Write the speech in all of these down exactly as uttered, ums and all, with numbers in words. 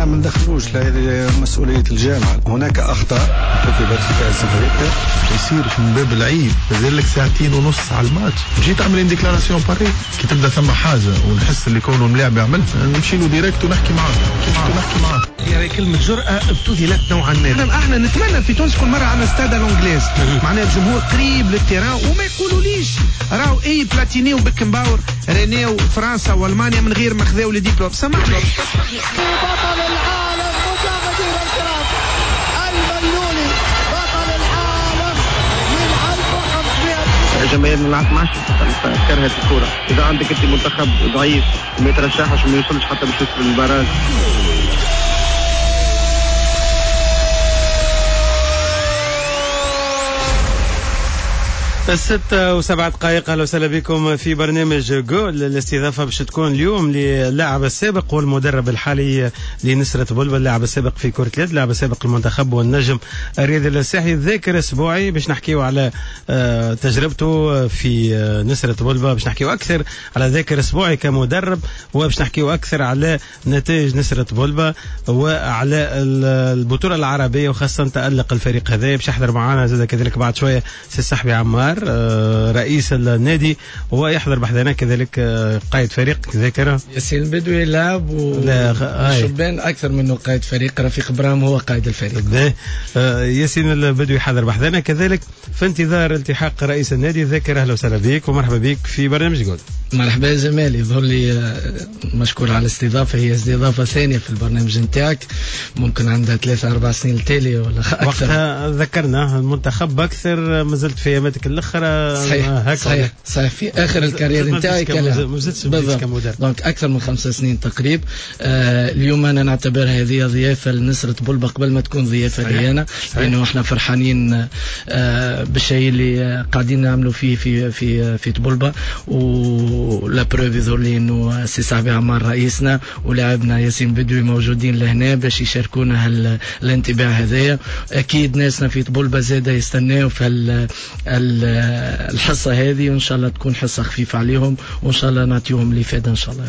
احنا ما ندخلوش هذه مسؤولية الجامعة. هناك اخطاء ارتكبت في كاس افريقيا. ما يصيرش من باب العيب، مازال لك ساعتين ونص على الماتش، تجي تعمل déclaration pareille. كي تبدا ثم حاجة ونحس اللي كونه الملاعب يعمل نمشي له direct ونحكي معاه، نحكي معاه. يعني كلمة جرأه ابتذلت نوعا ما. احنا نتمنى في تونس كل مرة عندنا stade à l'anglaise، معناها الجمهور قريب لل terrain، وما يقولوليش راهو اي بلاتيني وبيكنباور رينيو فرنسا والمانيا من غير ما خذاو les diplômes. سامحني. بطل العالم مشاهدينا الكرام، الملولي بطل العالم من ألف وخمسمائة. جماهير ما عادش كرهت الكرة. إذا عندك أنت منتخب ضعيف وما يترشحش وما يوصلش حتى باش يوصل لل barrage. الستة وسبعة دقائق، أهلا وسهلا بكم في برنامج جول. الاستضافة باش تكون اليوم للاعب السابق والمدرب الحالي لنسرة طبلبة، اللاعب السابق في كرة اليد، اللاعب السابق المنتخب والنجم الرياضي الساحلي، ذاكر السبوعي، باش نحكيو على تجربته في نسرة طبلبة، باش نحكيو أكثر على ذاكر السبوعي كمدرب، وباش نحكيو أكثر على نتائج نسرة طبلبة وعلى البطولة العربية وخاصة تألق الفريق هذا. باش يحضر معنا زاد كذلك بعد شوية سي الصحبي عمار رئيس النادي، ويحضر بحذانا كذلك قائد فريق ذاكرة ياسين البدوي، لاعب وشبان أكثر منه قائد فريق، رفيق برام هو قائد الفريق. ياسين البدوي حاضر بحذانا كذلك في انتظار التحاق رئيس النادي. ذاكر أهلا وسهلا بك ومرحبا بك في برنامج جول. مرحبا جمال، يظهر لي مشكور على الاستضافة، هي استضافة ثانية في البرنامج نتاعك، ممكن عندها ثلاثة أربع سنين التالية ولا أكثر. وقتها ذكرنا المنتخب أكثر، ما زلت في أياماتك الأخرى. صحيح صحيح صحيح، في آخر ال carrière نتاعي كان بالضبط، donc أكثر من خمس سنين تقريب. آه اليوم أنا نعتبرها هذه ضيافة لنسرة طبلبة قبل ما تكون ضيافة لي أنا، لأنه احنا فرحانين آه بالشيء اللي قاعدين نعملوا فيه في في في طبلبة، و la preuve يظهر لي انه سي صاحبي عمار رئيسنا ولاعبنا ياسين بدوي موجودين لهنا باش يشاركونا الانطباع هذايا. اكيد ناسنا في طبلبة زاده يستناو في الحصة هذه، وان شاء الله تكون حصة خفيفة عليهم، وان شاء الله نعطيهم الافادة ان شاء الله.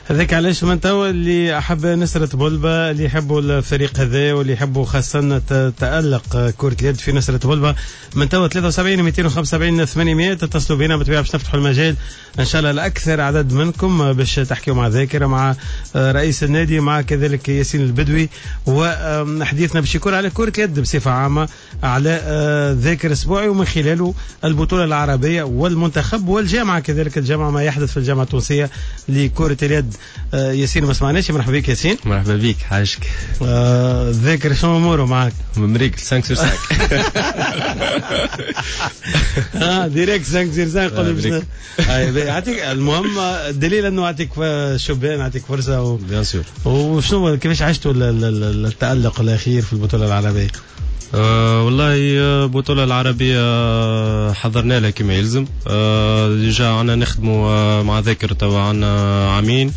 هذاك علاش من توا اللي احب نسرة طبلبة، اللي يحبوا الفريق هذا واللي يحبوا خاصة تألق كره اليد في نسرة طبلبة، من توا ثلاثة وسبعين مئتين وخمسة وسبعين ثمانمائة تتصلوا بنا بالطبيعة باش نفتحوا المجال ان شاء الله لأكثر عدد منكم باش تحكيوا مع ذاكرة، مع رئيس النادي، مع كذلك ياسين البدوي، وحديثنا باش يكون على كرة اليد بصفة عامة، على ذاكر السبوعي ومن خلاله البطولة العربية والمنتخب والجامعة، كذلك الجامعة، ما يحدث في الجامعة التونسية لكرة اليد. ياسين ما سمعناش، مرحبا بك ياسين. مرحبا بك حاجك. ذاكر شنو اموره معك؟ مريك خمسة sur خمسة. اه direct خمسة sur خمسة قول. يعطيك المهم الدليل انه يعطيك شبان، يعطيك فرصة و... bien sûr. وشنو كيفاش عشتوا التألق الاخير في البطولة العربية؟ أه والله البطولة العربية حضرنا لها كما يلزم. أه déjà عنا نخدموا مع ذاكر توا عنا عامين.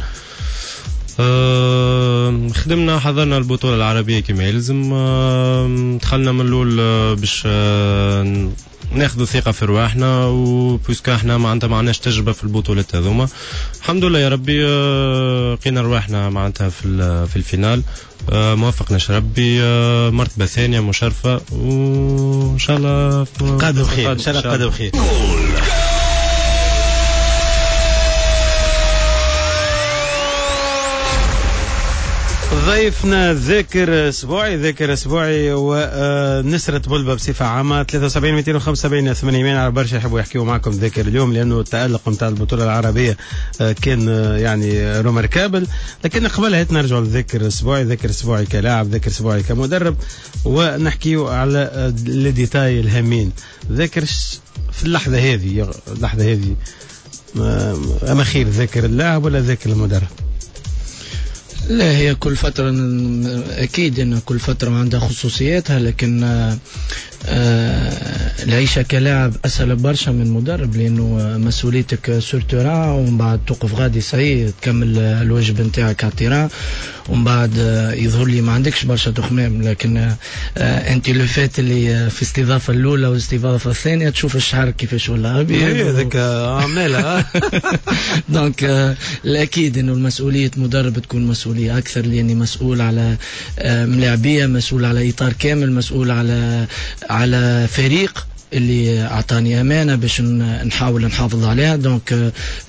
أه خدمنا حضرنا البطولة العربية كما يلزم. أه دخلنا من الأول باش أه ناخذوا ثقة في رواحنا، و puisque احنا معناتها ما عندناش تجربة في البطولات هذوما. الحمد لله يا ربي لقينا رواحنا معناتها في في ال finale، موفقناش ربي، مرتبة ثانية مشرفة، وإن شاء الله قادم خير، إن شاء الله قادم خير. ضيفنا ذاكر سبوعي، ذاكر سبوعي ونسرة طبلبة بصفة عامة، ثلاثة وسبعين مئتين وخمسة وسبعين ثمانمائة على برشا يحبوا يحكيوا معكم ذاكر اليوم، لأنه التألق نتاع البطولة العربية كان يعني remarquable. لكن قبلها نرجعوا لذاكر سبوعي، ذاكر سبوعي كلاعب، ذاكر سبوعي كمدرب، ونحكيوا على les détails الهامين. ذاكر في اللحظة هذه، اللحظة هذه أما خير ذاكر اللاعب ولا ذاكر المدرب؟ لا، هي كل فترة أكيد أن كل فترة عندها خصوصياتها، لكن العيشة كلاعب اسهل برشا من مدرب، لانه مسؤوليتك sur terrain، ومن بعد توقف غادي صحيح تكمل الواجب نتاعك على ال terrain، ومن بعد يظهر لي ما عندكش برشا تخمام. لكن انت le fait اللي في الاستضافة الاولى والاستضافه الثانية تشوف الشعر كيفاش ولا ابيض، هذاك عماله. donc الاكيد انه المسؤولية مدرب تكون مسؤولية اكثر، لاني مسؤول على ملاعبيه، مسؤول على اطار كامل، مسؤول على على فريق اللي اعطاني امانه باش نحاول نحافظ عليها. donc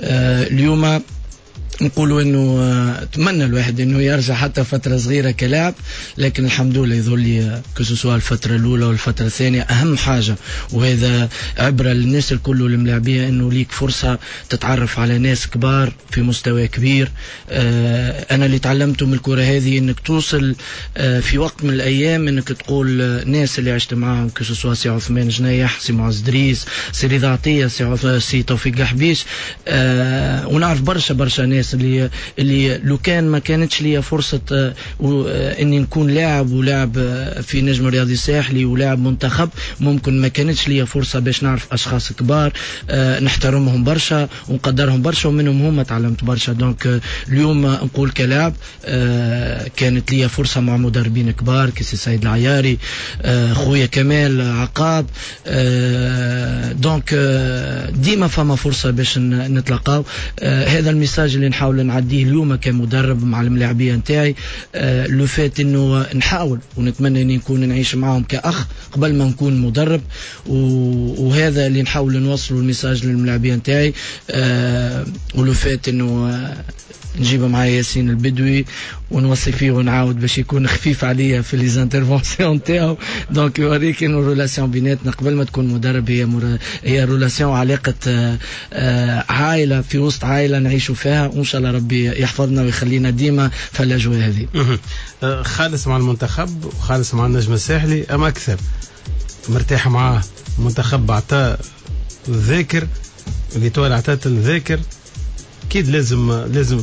اليوم نقولوا انه تمنى الواحد انه يرجع حتى فترة صغيرة كلاعب، لكن الحمد لله يظهر لي que ce soit الفترة الاولى والفترة الثانية اهم حاجة، وهذا عبره للناس الكل والملاعبيه، انه ليك فرصة تتعرف على ناس كبار في مستوى كبير. انا اللي تعلمته من الكره هذه انك توصل في وقت من الايام انك تقول ناس اللي عشت معاهم، que ce soit سي عثمان جنيح، سي معز دريس، سي رضا عطية، سي سي توفيق الحبيش، ونعرف برشا برشا ناس اللي اللي لو كان ما كانتش لي فرصة اني نكون لاعب ولاعب في نجم الرياضي الساحلي ولاعب منتخب، ممكن ما كانتش لي فرصة باش نعرف اشخاص كبار نحترمهم برشا ونقدرهم برشا، ومنهم هما تعلمت برشا. donc اليوم نقول كلاعب كانت لي فرصة مع مدربين كبار كسي سيد العياري، خويا كمال عقاب. donc ديما فما فرصة باش نتلاقاو. هذا ال message اللي نحاول نعديه اليوم كمدرب مع الملاعبيه نتاعي، le fait انه نحاول ونتمنى اني نكون نعيش معهم كاخ قبل ما نكون مدرب، وهذا اللي نحاول نوصله ال message للملاعبيه نتاعي. و le fait انه نجيب معايا ياسين البدوي ونوصي فيه ونعاود باش يكون خفيف عليا في les interventions تاعو. donc يوريك انه relation بيناتنا قبل ما تكون مدرب هي مر... هي relation علاقة عائلة في وسط عائلة نعيشوا فيها، وان شاء الله ربي يحفظنا ويخلينا ديما في الاجواء هذه. خالص مع المنتخب وخالص مع النجم الساحلي، اما اكثر مرتاح معاه المنتخب عطاه الذاكر، l'Étoile عطات الذاكر، اكيد لازم لازم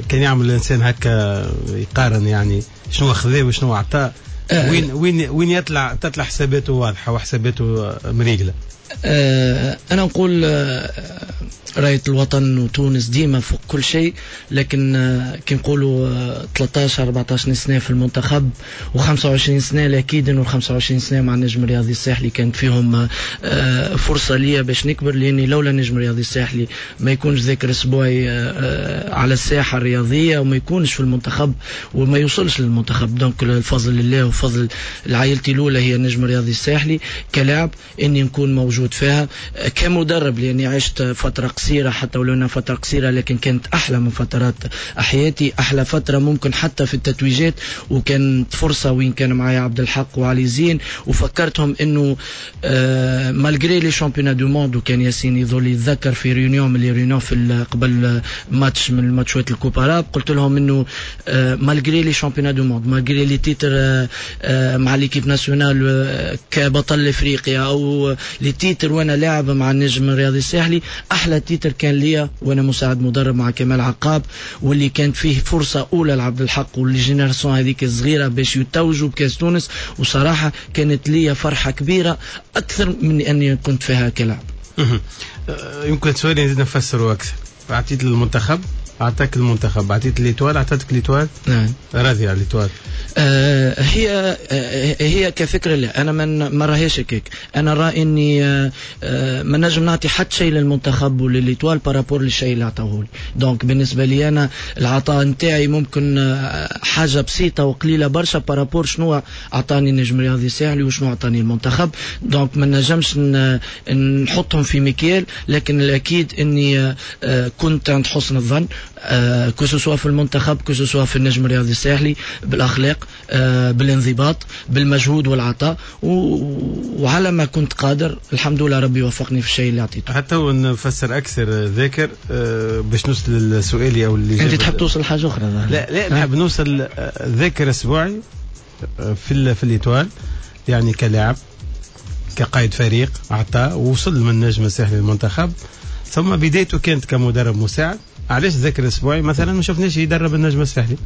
كان يعمل الانسان هكا يقارن يعني شنو خذاه وشنو عطاه، أه وين وين وين يطلع تطلع حساباته واضحة وحساباته مريقله. أه انا نقول راية الوطن وتونس ديما فوق كل شيء، لكن كي نقولوا ثلاثطاش أربعطاش سنة في المنتخب وخمسة وعشرين سنة، الاكيد انه خمسة وعشرين سنة مع النجم الرياضي الساحلي كانت فيهم فرصة ليا باش نكبر، لاني لولا النجم الرياضي الساحلي ما يكونش ذاكر اسبوعي على الساحة الرياضية وما يكونش في المنتخب وما يوصلش للمنتخب. donc الفضل لله وفضل لعائلتي الاولى هي النجم الرياضي الساحلي كلاعب اني نكون موجود فيها، كمدرب لاني عشت فترة قصيرة حتى ولو انها فترة قصيرة لكن كانت احلى من فترات حياتي، احلى فترة ممكن حتى في التتويجات، وكانت فرصة وين كان معايا عبد الحق وعلي زين، وفكرتهم انه آه malgré les championnats du monde، وكان ياسين يظل يتذكر في réunion من les réunions في قبل ماتش من الماتشات ال coupe arabe، قلت لهم انه آه malgré les championnats du monde، malgré les titres آه آه مع l'équipe nationale آه كبطل افريقيا او les titres وانا لاعب مع النجم الرياضي الساحلي، احلى titre كان ليا وانا مساعد مدرب مع كمال عقاب، واللي كانت فيه فرصة اولى لعبد الحق وال génération هذيك الصغيرة باش يتوجوا بكاس تونس، وصراحة كانت ليا فرحه كبيرة اكثر من اني كنت فيها كلاعب. يمكن سؤالي نزيد نفسره اكثر، اعطيت للمنتخب اعطاك المنتخب، اعطيت l'Étoile اعطتك l'Étoile، نعم راضي على l'Étoile؟ آه هي آه هي كفكرة لا، انا من ما راهيش هكاك، انا رأي اني آه آه ما نجم نعطي حتى شيء للمنتخب ولل Étoile par rapport للشيء اللي عطاوه لي. donc بالنسبة لي انا العطاء نتاعي ممكن آه حاجة بسيطة وقليله برشا par rapport شنو عطاني النجم الرياضي الساحلي وشنو عطاني المنتخب، donc ما نجمش نحطهم في مكيال، لكن الاكيد اني آه كنت عند حسن الظن آه que ce soit في المنتخب que ce soit في النجم الرياضي الساحلي، بالاخلاق آه بالانضباط بالمجهود والعطاء، وعلى ما كنت قادر الحمد لله ربي وفقني في الشيء اللي عطيته. حتى ونفسر اكثر ذاكر آه باش نوصل لسؤالي او اللي انت تحب توصل لحاجة اخرى؟ لا لا نحب نوصل ذاكر اسبوعي في في l'Étoile، يعني كلاعب كقائد فريق عطاء ووصل من النجم الساحلي للمنتخب، ثم بدايته كانت كمدرب مساعد. علاش ذاكر الاسبوعي مثلا ما شفناش يدرب النجم الساحلي؟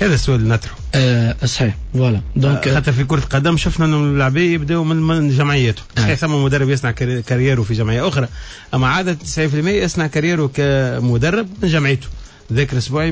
هذا السؤال اللي نطرحه. أه صحيح voilà. donc حتى في كرة القدم شفنا انه اللاعبين يبداوا من, من جمعيته. صحيح ثم مدرب يصنع carrière و في جمعية أخرى، أما عادة تسعين بالمئة يصنع carrière و كمدرب من جمعيته. ذاك الاسبوعي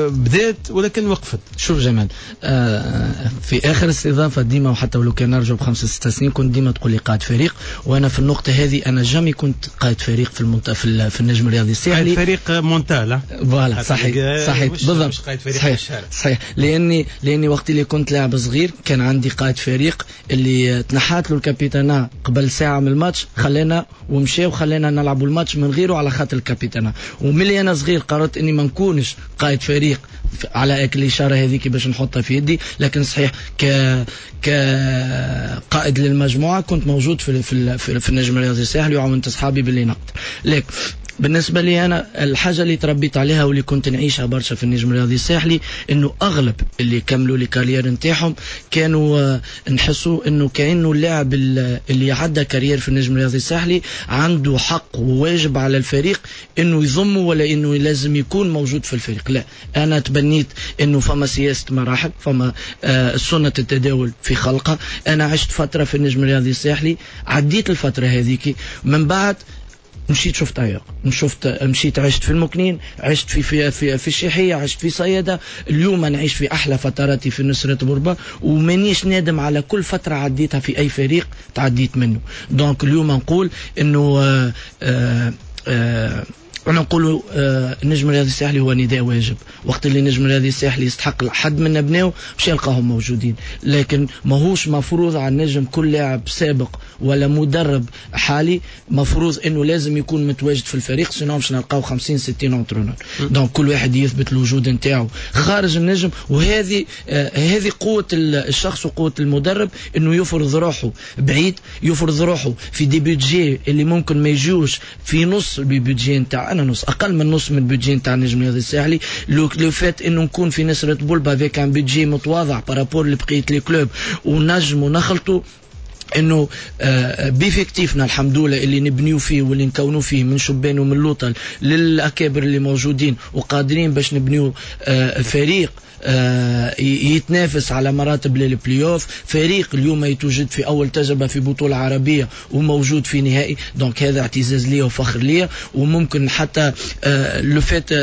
بدات ولكن وقفت. شوف جمال، آه في اخر استضافة ديما وحتى ولو كان نرجع بخمس ست سنين كنت ديما تقول لي قائد فريق، وانا في النقطة هذه انا jamais كنت قائد فريق في المنت... في, في النجم الرياضي الساحلي. قائد فريق mental. voilà صحيح صحيح بالضبط. صحيح صحيح، لاني لاني وقت اللي كنت لاعب صغير كان عندي قائد فريق اللي تنحات له ال capitanat قبل ساعة من الماتش، خلانا ومشى وخلانا نلعبوا الماتش من غيره على خاطر ال capitanat. وملي انا صغير قررت اني ما نكونش قائد فريق على اكل الاشارة هذيك باش نحطها في يدي، لكن صحيح ك كقائد للمجموعة كنت موجود في في في النجم الرياضي الساحلي وعاونت اصحابي باللي نقدر. لكن بالنسبة لي انا الحاجة اللي تربيت عليها واللي كنت نعيشها برشا في النجم الرياضي الساحلي انه اغلب اللي كملوا les carrières نتاعهم كانوا نحسوا انه كانه اللاعب اللي عدى carrière في النجم الرياضي الساحلي عنده حق وواجب على الفريق انه يضمه ولا انه لازم يكون موجود في الفريق. لا، انا تبنيت انه فما سياسة مراحل، فما سنة التداول في خلقها. انا عشت فترة في النجم الرياضي الساحلي، عديت الفترة هذيك، من بعد مشيت شفت عياق، شفت مشيت عشت في المكنين، عشت في في في, في الشيحية، عشت في صيادة. اليوم نعيش في أحلى فتراتي في نسرة بوربا، ومانيش نادم على كل فترة عديتها في أي فريق تعديت منه. donc اليوم نقول إنه آآ آآ آآ أنا نقولوا النجم الرياضي الساحلي هو نداء واجب. وقت اللي النجم الرياضي الساحلي يستحق حد من أبنائه باش يلقاهم موجودين، لكن ماهوش مفروض على النجم كل لاعب سابق ولا مدرب حالي مفروض انه لازم يكون متواجد في الفريق، sinon باش نلقاو خمسين ستين entraîneurs. donc كل واحد يثبت الوجود نتاعو خارج النجم، وهذه آه هذه قوة الشخص وقوة المدرب انه يفرض روحه بعيد، يفرض روحه في des budgets اللي ممكن ما يجوش في نص ال budget نتاع انا نص اقل من نص من ال budget نتاع النجم الرياضي الساحلي. le fait انه نكون في نسرة بولبا avec un budget متواضع par rapport لبقية les clubs ونجم ونخلطوا انه ب effectif نا الحمد لله اللي نبنيو فيه واللي نكونوا فيه من شبان ومن لوطل للاكابر اللي موجودين وقادرين باش نبنيو فريق يتنافس على مراتب للبلاي اوف، فريق اليوم يتوجد في اول تجربه في بطوله عربية وموجود في نهائي. donc هذا اعتزاز ليا وفخر ليا. وممكن حتى le fait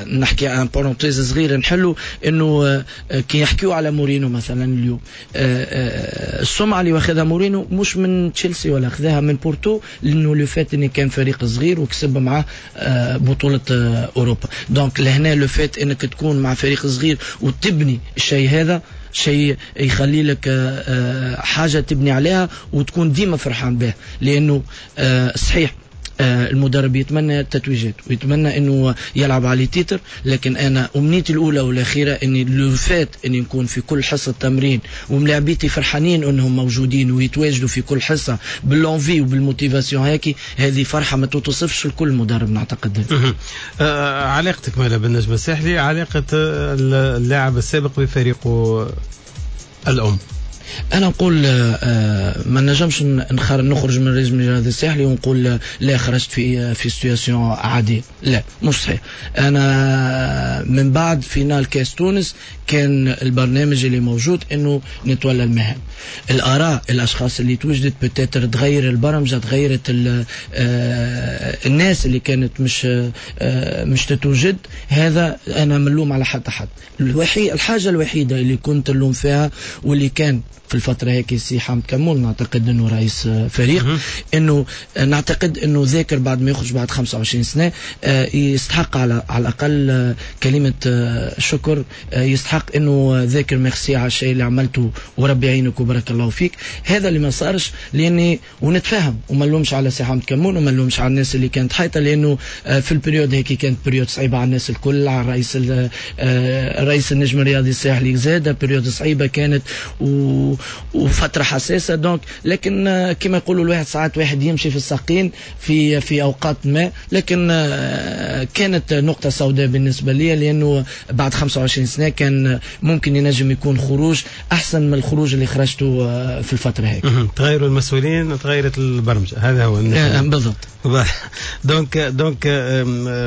نحكي en parenthèse صغير نحلو انه كي يحكيو على مورينو مثلا اليوم، السمعة اللي واخذها مورينو مش من تشيلسي ولا اخذها من بورتو، لانه le fait انه كان فريق صغير وكسب معاه بطوله اوروبا. donc لهنا le fait انك تكون مع فريق صغير وتبني الشيء هذا شيء يخلي لك حاجة تبني عليها وتكون ديما فرحان به. لأنه صحيح المدرب يتمنى التتويجات ويتمنى انه يلعب على titre، لكن انا امنيتي الاولى والاخيرة اني le fait اني نكون في كل حصة تمرين وملاعبيتي فرحانين انهم موجودين ويتواجدوا في كل حصة بال l'envie وبال motivation هيك، هذه فرحه ما تتوصفش لكل مدرب نعتقد. آه علاقتك مالا بالنجم الساحلي، علاقة اللاعب السابق بفريقه الام؟ انا نقول ما نجمش نخرج من النجم الرياضي الساحلي ونقول لا خرجت في في situation عادية، لا مش صحيح. انا من بعد finale كاس تونس كان البرنامج اللي موجود انه نتولى المهام. الاراء الاشخاص اللي توجدت peut-être تغير البرمجة، تغيرت الناس اللي كانت مش مش تتوجد. هذا انا ملوم على حتى حد. الوحيد الحاجة الوحيدة اللي كنت نلوم فيها واللي كان في الفترة هيك سي حامد كمول نعتقد انه رئيس فريق، انه نعتقد انه ذاكر بعد ما يخرج بعد خمسة وعشرين سنة يستحق على على الاقل كلمة شكر، يستحق انه ذاكر ميرسي على الشيء اللي عملته وربي يعينك وبارك الله فيك. هذا اللي ما صارش، لاني ونتفهم وما نلومش على سي حامد كمون وما نلومش على الناس اللي كانت حيطة، لانه في ال période هيك كانت période صعيبة على الناس الكل، على الرئيس رئيس النجم الرياضي الساحلي زاد période صعيبة كانت، و وفترة حساسة. donc لكن كما يقولوا الواحد ساعات واحد يمشي في الساقين في في اوقات ما، لكن كانت نقطة سوداء بالنسبة لي، لانه بعد خمسة وعشرين سنة كان ممكن ينجم يكون خروج احسن من الخروج اللي خرجته في الفترة هيك. تغيروا المسؤولين، تغيرت البرمجة، هذا هو بالضبط. donc donc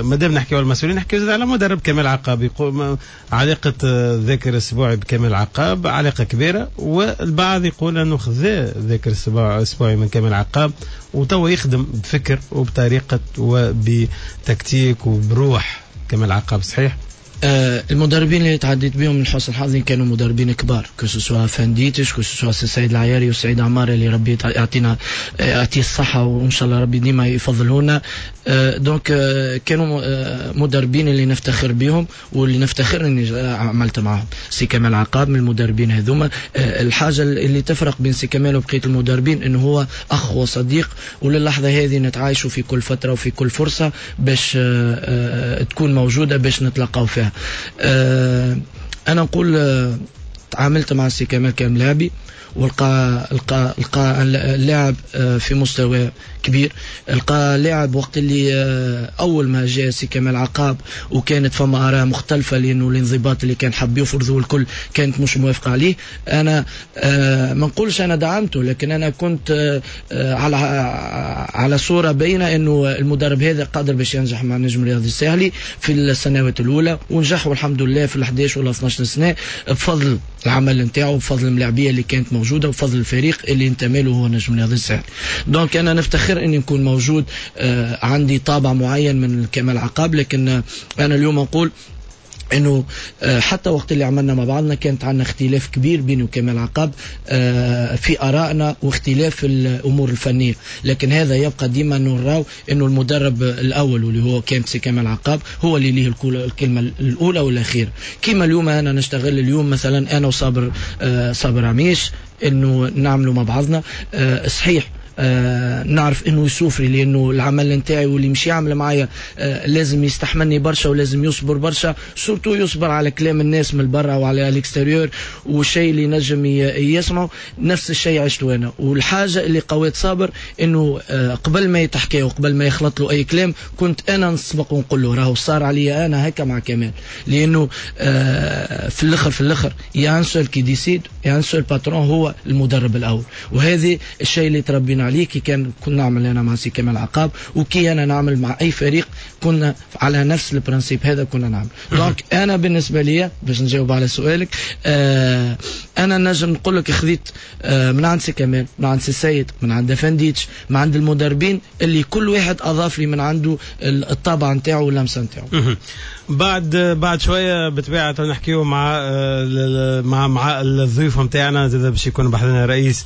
مادام نحكيو على المسؤولين نحكيو زاد على مدرب كمال عقاب. يقول علاقة ذاكر السبوعي بكمال عقاب علاقة كبيرة، والبعض يقول انه خذا ذاكر السبوعي من كمال عقاب وتوا يخدم بفكر وبطريقة وبتكتيك وبروح كمال عقاب. صحيح؟ آه المدربين اللي تعديت بهم من حسن حظي كانوا مدربين كبار، que ce soit فانديتش، que ce soit سيد العياري وسعيد عمار اللي ربي يعطينا يعطيه الصحة وإن شاء الله ربي ديما يفضلونا. آه donc آه كانوا آه مدربين اللي نفتخر بهم واللي نفتخر اني عملت معهم. سي كمال عقاب من المدربين هذوما. آه الحاجة اللي تفرق بين سي كمال وبقية المدربين انه هو أخ وصديق، وللحظة هذه نتعايشوا في كل فترة وفي كل فرصة باش آه آه تكون موجودة باش نتلاقاو فيها. أنا نقول تعاملت مع سي كمال كملاعبي، ولقى لقى لقى اللاعب في مستوى كبير، لقى لاعب وقت اللي اول ما جاء سي كمال عقاب وكانت فما اراء مختلفة، لانه الانضباط اللي كان حب يفرضه الكل كانت مش موافقة عليه. انا ما نقولش انا دعمته، لكن انا كنت على على صوره باينة انه المدرب هذا قادر باش ينجح مع النجم الرياضي الساحلي في السنوات الاولى، ونجح والحمد لله في الأحد عشر ولا اثنا عشر سنة بفضل العمل نتاعو، بفضل الملاعبيه اللي كانت موجودة، وبفضل الفريق اللي انتمى له هو النجم الرياضي الساحلي. donc انا نفتخر اني نكون موجود، آه عندي طابع معين من كمال عقاب، لكن آه انا اليوم نقول انه حتى وقت اللي عملنا مع بعضنا كانت عندنا اختلاف كبير بيني وكمال عقاب في ارائنا واختلاف في الامور الفنية، لكن هذا يبقى ديما نراو انه المدرب الاول واللي هو كان سي كمال عقاب هو اللي ليه الكلمة الاولى والاخيرة. كما اليوم انا نشتغل اليوم مثلا انا وصابر صابر عميش انه نعملوا مع بعضنا. صحيح آه نعرف انه يسوفري، لانه العمل نتاعي واللي مش يعمل معايا آه لازم يستحملني برشا ولازم يصبر برشا، surtout يصبر على كلام الناس من برا وعلى l'extérieur والشيء اللي نجم يسمعه. نفس الشيء عشته انا، والحاجة اللي قويت صابر انه آه قبل ما يتحكي وقبل ما يخلط له اي كلام كنت انا نسبق ونقول له راهو صار عليا انا هكا مع كمال، لانه آه في الاخر في الاخر y a un seul qui décide، y a un seul patron هو المدرب الاول، وهذه الشيء اللي تربينا عليه كي كان كنا نعمل انا مع سي كمال عقاب وكي انا نعمل مع اي فريق كنا على نفس ال principe هذا كنا نعمل. donc انا بالنسبة لي باش نجاوب على سؤالك، آه انا نجم نقول لك خذيت آه من عند سي كمال، من عند سي سيد، من عند فنديتش، من عند المدربين اللي كل واحد اضاف لي من عنده الطابع نتاعو واللمسه نتاعو. بعد بعد شوية بالطبيعة نحكيو مع مع مع الضيوف نتاعنا، زاد باش يكون بحذنا رئيس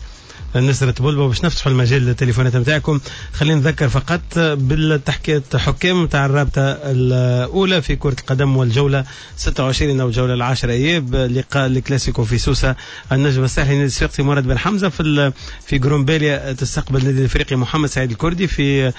نسرة بلبة باش نفتحوا المجال للتليفونات نتاعكم. خلينا نذكر فقط بالتحكية حكام نتاع الرابطة الأولى في كرة القدم والجولة ستة وعشرين أو الجولة العاشرة إياب، لقاء الكلاسيكو في سوسة، النجم الساحلي نادي الصفاقسي مراد بن حمزة، في في جرومباليا تستقبل النادي الافريقي محمد سعيد الكردي، في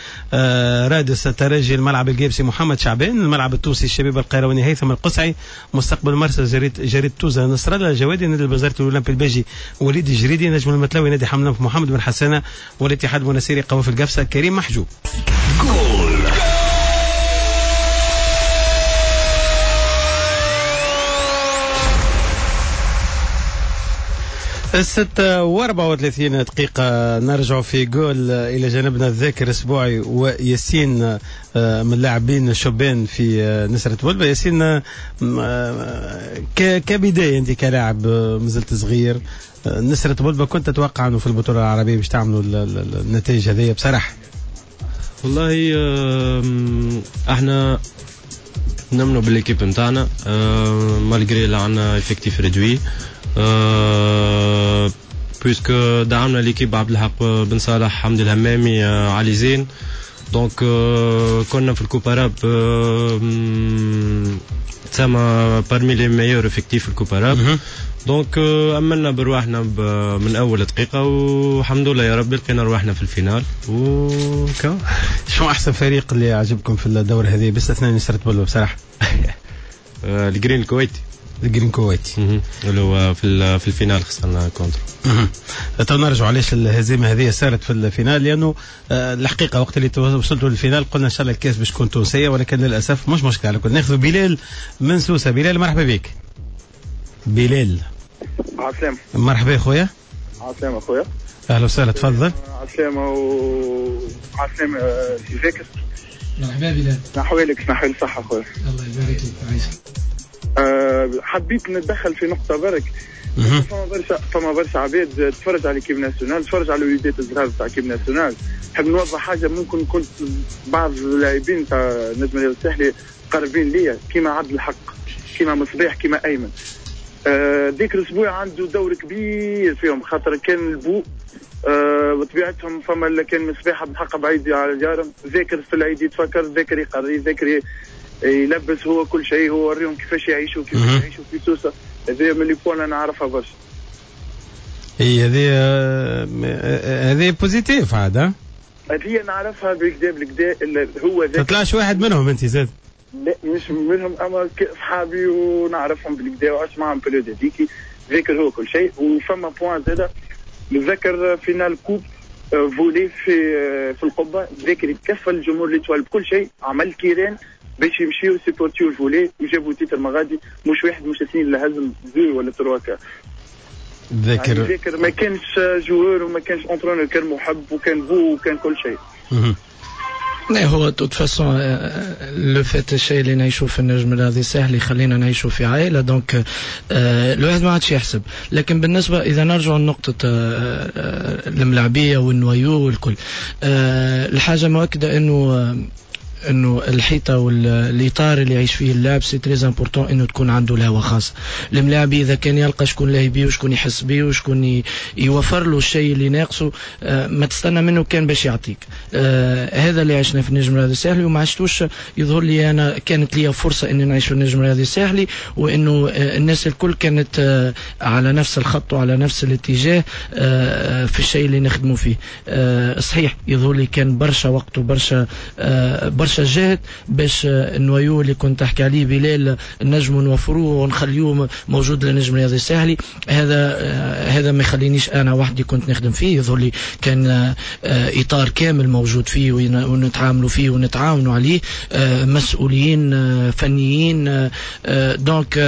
رادس الترجي الملعب الجابسي محمد شعبان، الملعب التونسي الشبيبة القيرواني هيثم القصعي، مستقبل مرسى جريد جريد توزة نصر الله الجوادي، نادي البزارتي الأولمبي الباجي وليد الجريدي، نجم المتلوي نادي حمام محمد بن حسانة، والاتحاد المنسيري قوافل القفصة كريم محجوب. جول. الستة وأربعة وثلاثين دقيقة نرجع في جول إلى جانبنا الذاكر الأسبوعي وياسين من اللاعبين الشبان في نسرة بلبة. ياسين، كبداية أنت كلاعب مازلت صغير، نسرة بلبة كنت تتوقع أنه في البطولة العربية باش تعملوا النتائج هذه بصراحة؟ والله احنا نمنوا بال équipe نتاعنا malgré اللي عندنا effectif réduit، puisque دعمنا l'équipe عبد الحق بن صالح، حمدي الهمامي، علي زين. donc كنا في ال coupe arabe تسمى parmi les meilleurs effectifs في ال coupe arabe. donc امنا برواحنا من اول دقيقة والحمد لله يا ربي لقينا رواحنا في ال finale. وكا شنو احسن فريق اللي عجبكم في الدورة هذه باستثناء نسرة بلبة بصراحة؟ الجرين الكويتي. الجرين كويتي اللي هو في في ال finale خسرنا contre. تو نرجعوا علاش الهزيمة هذه صارت في ال finale، لانه الحقيقة وقت اللي وصلتوا لل finale قلنا ان شاء الله الكاس باش تكون تونسية، ولكن للاسف مش مشكلة. على كل ناخذ بلال من سوسة. بلال مرحبا بك. بلال عسلامة. مرحبا خويا. عسلامة خويا. اهلا وسهلا، تفضل. عسلامة و عسلامة سي ذاكر. مرحبا بلال. نحوالك نحوال صحة خويا. الله يبارك فيك عايشك. أه حبيت نتدخل في نقطة برك. فما برشا فما برشا عباد تفرج على l'équipe nationale، تفرج على الوليدات الصغار تاع l'équipe nationale. نحب نوضح حاجة، ممكن كنت بعض اللاعبين تاع النجم الرياضي الساحلي قريبين ليا، كيما عبد الحق، كيما مصباح، كيما أيمن. آه ذيك الاسبوع عنده دور كبير فيهم، خاطر كان البو آه بطبيعتهم فما اللي كان مصباح عبد الحق بعيد على ديارهم، ذاكر في العيد يتفكر، ذاكر يقري، ذاكر يلبس، هو كل شيء، هو وريهم كيفاش يعيشوا كيفاش يعيشوا في سوسة. هذه من les points انا نعرفها برشا. اي هذه هذه positif عاد. هذه نعرفها بالكدا بالكدا هو ذاك. تطلعش واحد منهم انت زاد؟ لا مش منهم، اما صحابي ونعرفهم بالكدا وعشت معهم période هذيك، ذاكر هو كل شيء. وفما point زاده نتذكر finale coupe volley في في القبة، ذاكر يتكفل الجمهور l'Étoile بكل شيء، عمل كيران باش يمشيو سيبورتيو ال volley وجابوا titre مغادي، مش واحد مش اثنين، لا هزم deux ولا trois كا. ذاكر يعني ذاكر ما كانش joueur وما كانش entraîneur، كان محب وكان بو وكان كل شيء. لا هو toute façon le fait الشيء اللي نعيشوه في النجم الرياضي الساحلي خلينا نعيشوا في عائلة، donc الواحد ما عادش يحسب. لكن بالنسبة اذا نرجع لنقطة الملاعبيه وال noyau والكل، الحاجة مؤكدة انه انه الحيطة والاطار اللي يعيش فيه اللاعب c'est très important انه تكون عنده الهوى خاصة. الملاعبي اذا كان يلقى شكون لاهي بيه وشكون يحس بيه وشكون يوفر له الشيء اللي ناقصه، ما تستنى منه كان باش يعطيك. هذا اللي عشنا في النجم الرياضي الساحلي وما عشتوش. يظهر لي انا كانت لي فرصة اني نعيش في النجم الرياضي الساحلي، وانه الناس الكل كانت على نفس الخط وعلى نفس الاتجاه في الشيء اللي نخدموا فيه. صحيح يظهر لي كان برشا وقت وبرشا برشا جهد باش ال noyau اللي كنت تحكي عليه بلال نجموا نوفروه ونخليوه موجود للنجم الرياضي الساحلي. هذا هذا ما يخلينيش انا وحدي كنت نخدم فيه، يظهر لي كان اطار كامل موجود فيه ونتعاملوا فيه ونتعاونوا عليه، مسؤولين فنيين. donc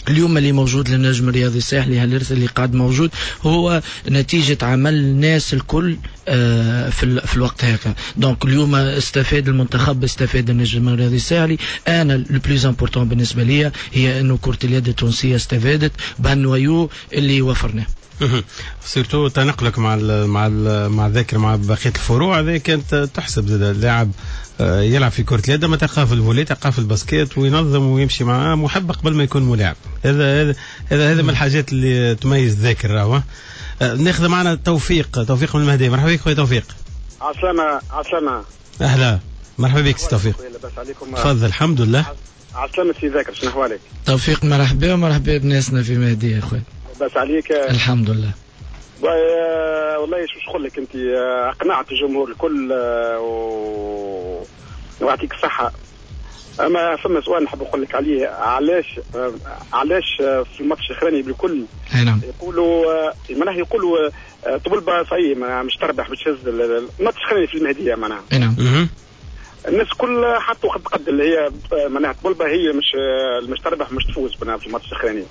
اليوم اللي موجود للنجم الرياضي الساحلي، هالإرث اللي قاعد موجود هو نتيجة عمل الناس الكل في في الوقت هذا. donc اليوم استفاد المنتخب، استفاد النجم الرياضي الساحلي. انا le plus important بالنسبة لي هي انه كرة اليد التونسية استفادت بهال noyau اللي وفرناه. surtout تنقلك مع ال مع ال مع الذاكر مع بقية الفروع هذه كانت تحسب زاد. اللاعب يلعب في كره اليد ما تلقاه في ال volley، تلقاه في ال basket، وينظم ويمشي معاه محب قبل ما يكون ملاعب. هذا هذا هذا هذا من الحاجات اللي تميز ذاكر. راهو ناخذ معنا توفيق، توفيق من المهدي. مرحبا بك خويا توفيق. عسلامة. عسلامة. اهلا، مرحبا بك سي توفيق. لاباس عليكم؟ تفضل. الحمد لله. عسلامة سي ذاكر، شنو احوالك؟ توفيق مرحبا ومرحبا بناسنا في مهدي يا خويا. لاباس عليك؟ الحمد لله. والله شو نقول لك، انت اقنعت الجمهور الكل و... ويعطيك الصحة. اما فما سؤال نحب نقول لك عليه، علاش علاش في الماتش الاخراني بالكل نعم يقولوا معناها يقولوا طبلبة صحيح مش تربح باش تهز الماتش الاخراني في المهدية معناها. نعم الناس الكل حطوا قد قد اللي هي معناها طبلبة هي مش مش تربح مش تفوز معناها في الماتش الاخراني.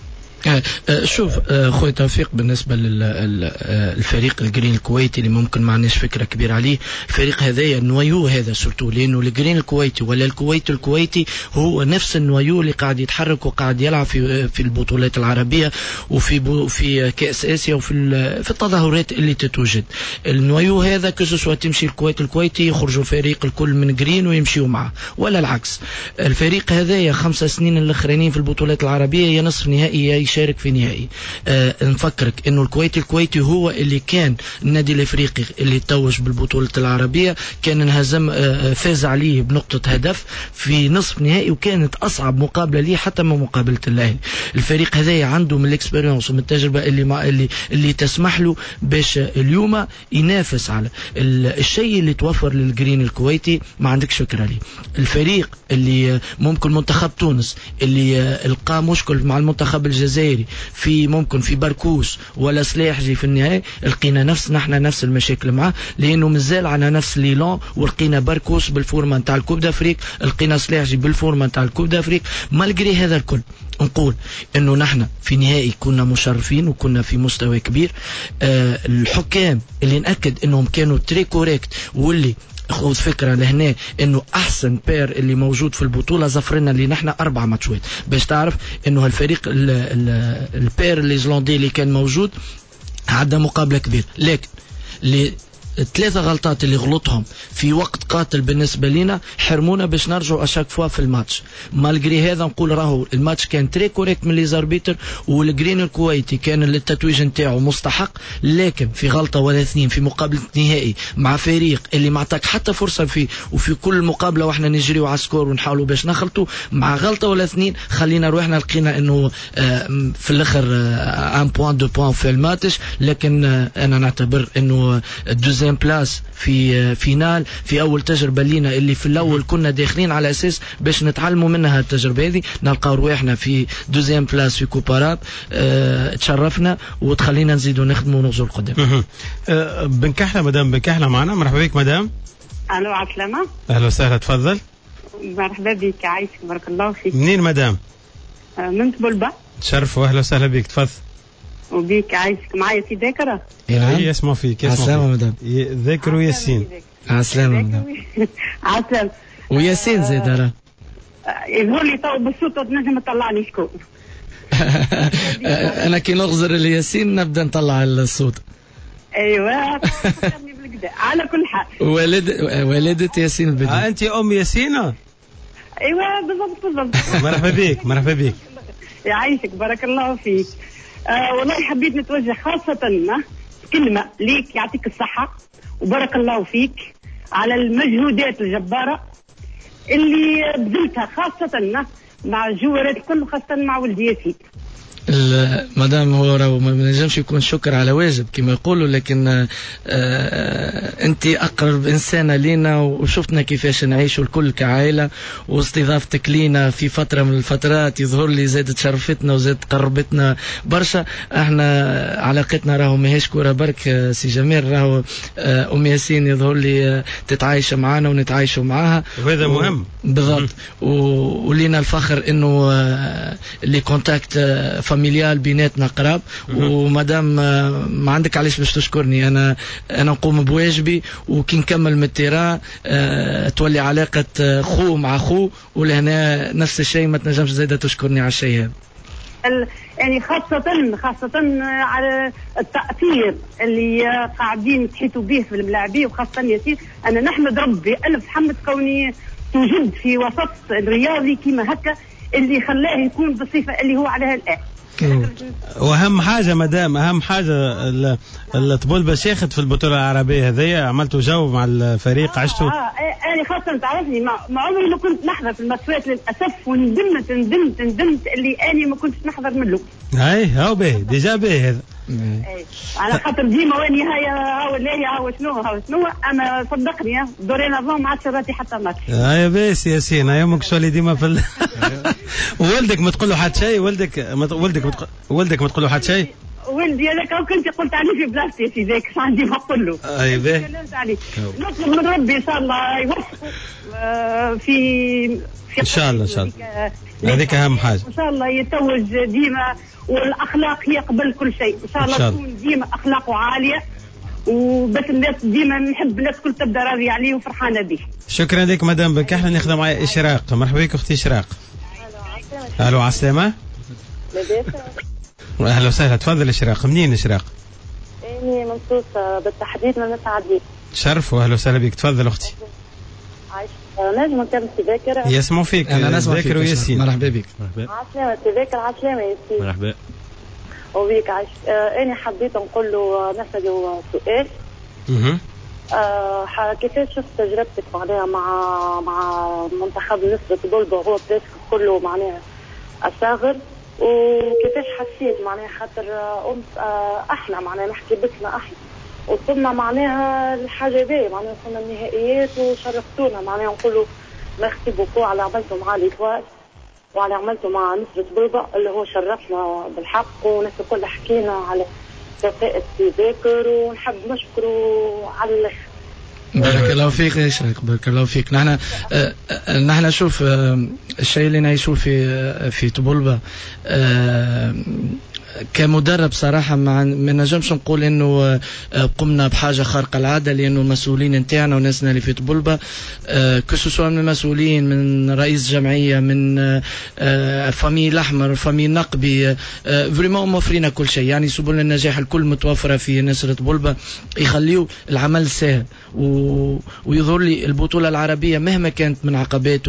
شوف خويا توفيق، بالنسبة للفريق الجرين الكويتي اللي ممكن ما عندناش فكرة كبيرة عليه، الفريق هذايا ال noyau هذا surtout، لانه الجرين الكويتي ولا الكويت الكويتي هو نفس ال noyau اللي قاعد يتحرك وقاعد يلعب في في البطولات العربية وفي في كاس اسيا وفي في التظاهرات اللي تتوجد. ال noyau هذا que ce soit تمشي الكويت الكويتي يخرجوا الفريق الكل من جرين ويمشيوا معه ولا العكس. الفريق هذايا خمسة سنين الاخرانيين في البطولات العربية يا نصف نهائي يا يشارك في نهائي. آه نفكرك انه الكويتي الكويتي هو اللي كان النادي الافريقي اللي توج بالبطولة العربية، كان انهزم آه فاز عليه بنقطة هدف في نصف نهائي، وكانت اصعب مقابله ليه حتى من مقابله الاهلي. الفريق هذا عنده من ال expérience ومن التجربة اللي مع اللي اللي تسمح له باش اليوم ينافس على الشيء اللي توفر للجرين الكويتي، ما عندكش فكرة ليه. الفريق اللي ممكن منتخب تونس اللي لقى مشكل مع المنتخب الجزائري في ممكن في بركوس ولا سلاحجي في النهائي، لقينا نفس نحن نفس المشاكل معاه، لانه مازال على نفس l'élan، ولقينا بركوس بال forme نتاع ال Coupe d'Afrique، لقينا سلاحجي بال forme نتاع ال Coupe d'Afrique. malgré هذا الكل نقول انه نحن في نهائي كنا مشرفين وكنا في مستوى كبير. آه الحكام اللي نأكد انهم كانوا très corrects، واللي خذ فكرة لهنا انه احسن paire اللي موجود في البطولة زفرنا اللي نحن اربع ماتشات، باش تعرف انه الفريق ال paire الإيزلاندي اللي كان موجود عدى مقابله كبيرة، لكن اللي الثلاثة غلطات اللي غلطهم في وقت قاتل بالنسبة لنا حرمونا باش نرجعوا à chaque fois في الماتش. malgré هذا نقول راهو الماتش كان très correct من les arbitres، والجرين الكويتي كان التتويج نتاعو مستحق، لكن في غلطة ولا اثنين في مقابلة نهائي مع فريق اللي ما عطاك حتى فرصة فيه، وفي كل مقابلة واحنا نجريو على score ونحاولوا باش نخلطوا، مع غلطة ولا اثنين خلينا روحنا لقينا انه في الاخر un point deux points في الماتش. لكن انا نعتبر انه deuxième place في finale في اول تجربه لينا اللي في الاول كنا داخلين على اساس باش نتعلموا منها التجربة هذه، نلقاو رواحنا في deuxième place في Coupe arabe. أه تشرفنا وتخلينا نزيدوا نخدموا ونغزوا لقدام. أه بن كحلة، مدام بن كحلة معنا، مرحبا بك مدام. الو عسلامة. اهلا وسهلا، تفضل. مرحبا بك، عايشك بارك الله فيك. منين مدام؟ من طبلبة. تشرف واهلا وسهلا بك، تفضل. وبيك عايشك. معايا في ذاكرة؟ نعم يسمع فيك. عسلامة مدام. ذاكر وياسين. عسلامة مدام. عسلامة وياسين زاد راه. يظهر لي تو بالصوت تنجم تطلعني شكون. أنا كي نغزر لياسين نبدا نطلع الصوت. ايوه فكرني بالكدا. على كل حال والد والدة ياسين البدوي. آه أنت أم ياسين؟ ايوه بالضبط بالضبط. مرحبا بك مرحبا بك. يعيشك بارك الله فيك. آه والله حبيت نتوجه خاصة كلمة ليك، يعطيك الصحة وبارك الله فيك على المجهودات الجبارة اللي بذلتها خاصة مع الجوارات الكل وخاصة مع ولدياتي. مدام هو راهو ما نجمش يكون شكر على واجب كما يقولوا، لكن آه انت اقرب انسانه لينا وشفتنا كيفاش نعيشوا الكل كعائله، واستضافتك لينا في فترة من الفترات يظهر لي زادت شرفتنا وزادت قربتنا برشا. احنا علاقتنا راهو ماهيش كورة برك سي جميل، راهو ام ياسين يظهر لي تتعايش معانا ونتعايشوا معاها، وهذا مهم بالضبط. ولينا الفخر انه les contacts familial بيناتنا قراب. ومادام ما عندك علاش باش تشكرني، انا انا نقوم بواجبي، وكي نكمل من ال terrain أه تولي علاقة خو مع خو، ولهنا نفس الشيء ما تنجمش زاده تشكرني على الشيء هذا. يعني خاصة خاصة على التأثير اللي قاعدين تحيطوا به في الملاعبية وخاصة ياسين. أنا نحمد ربي ألف حمد كوني توجد في وسط الرياضي كيما هكا اللي خلاه يكون بالصفة اللي هو عليها الآن. واهم حاجة مدام، اهم حاجة الطبول شاخت في البطولة العربية هذيا، عملتوا جو مع الفريق، آه عشتوا. اه انا خاصة تعرفني ما عمري ما كنت نحضر في الماتشات للاسف، وندمت ندمت ندمت اللي اني ما كنتش نحضر من الاول. اي هاو باهي déjà باهي هذا. اي على خاطر ديما واني هاي هاو لاهي هاو شنو هاو شنو، اما صدقني dorénavant ما عادش راتي حتى ماتش. هاي باهي ياسين، هاي امك شو ديما في ال... ولدك ما تقول له حتى شيء، ولدك ما ولدك ما ولدك ما تقول له حتى شيء. ولدي هذاك كنت قلت عليه في بلاصتي في ذاك عندي ما نقول له. اي باهي. نطلب من ربي ان شاء الله يوفقه في في ان شاء الله ان شاء الله، هذيك اهم حاجة. ان شاء الله يتوج ديما، والاخلاق هي قبل كل شيء، ان شاء الله تكون ديما اخلاقه عالية، وبس الناس ديما نحب الناس الكل تبدا راضية عليه وفرحانه به. شكرا لك مدام بن كحلة. ناخذ معايا اشراق، مرحبا بك اختي اشراق. الو عسلامة. لاباس؟ اهلا وسهلا، تفضل اشراق. منين اشراق؟ اني من سوسة بالتحديد من مسعدي. تشرف واهلا وسهلا بك، تفضل اختي. عايش نجم نكمل سي ذاكر. يسمعوا فيك. انا نسمع فيك وياسين. مرحبا بك. مرحبا. عسلامة سي ذاكر. عسلامة ياسين. مرحبا. وبيك عايش. آه انا حبيت نقول له، نساله سؤال. آه كيفاش شفت تجربتك معناها مع مع منتخب نسرة طبلبة وهو presque كله معناها أصاغر، وكيفاش حسيت معناها خاطر أم آه احنا معناها نحكي باسمنا احنا وصلنا معناها الحاجة باهيه، معناها وصلنا النهائيات وشرفتونا، معناها نقولوا merci beaucoup على عملته مع l'Étoile وعلى عملته مع نسرة طبلبة اللي هو شرفنا بالحق، وناس الكل حكينا على كفاءة ذاكر ونحب نشكره على الاخر. بارك الله فيك يا شريك، بارك الله فيك. نحن آه نحن شوف آه الشيء اللي نعيشه في آه في طبلبة آه كمدرب صراحة ما نجمش نقول انه قمنا بحاجة خارقة العادة، لانه المسؤولين نتاعنا وناسنا اللي في طبلبة que ce soit من المسؤولين، من رئيس جمعية، من famille الاحمر، famille النقبي، vraiment موفرين كل شيء. يعني سبل النجاح الكل متوفرة في نسرة طبلبة، يخليو العمل سهل. و... ويظهر لي البطولة العربية مهما كانت من عقبات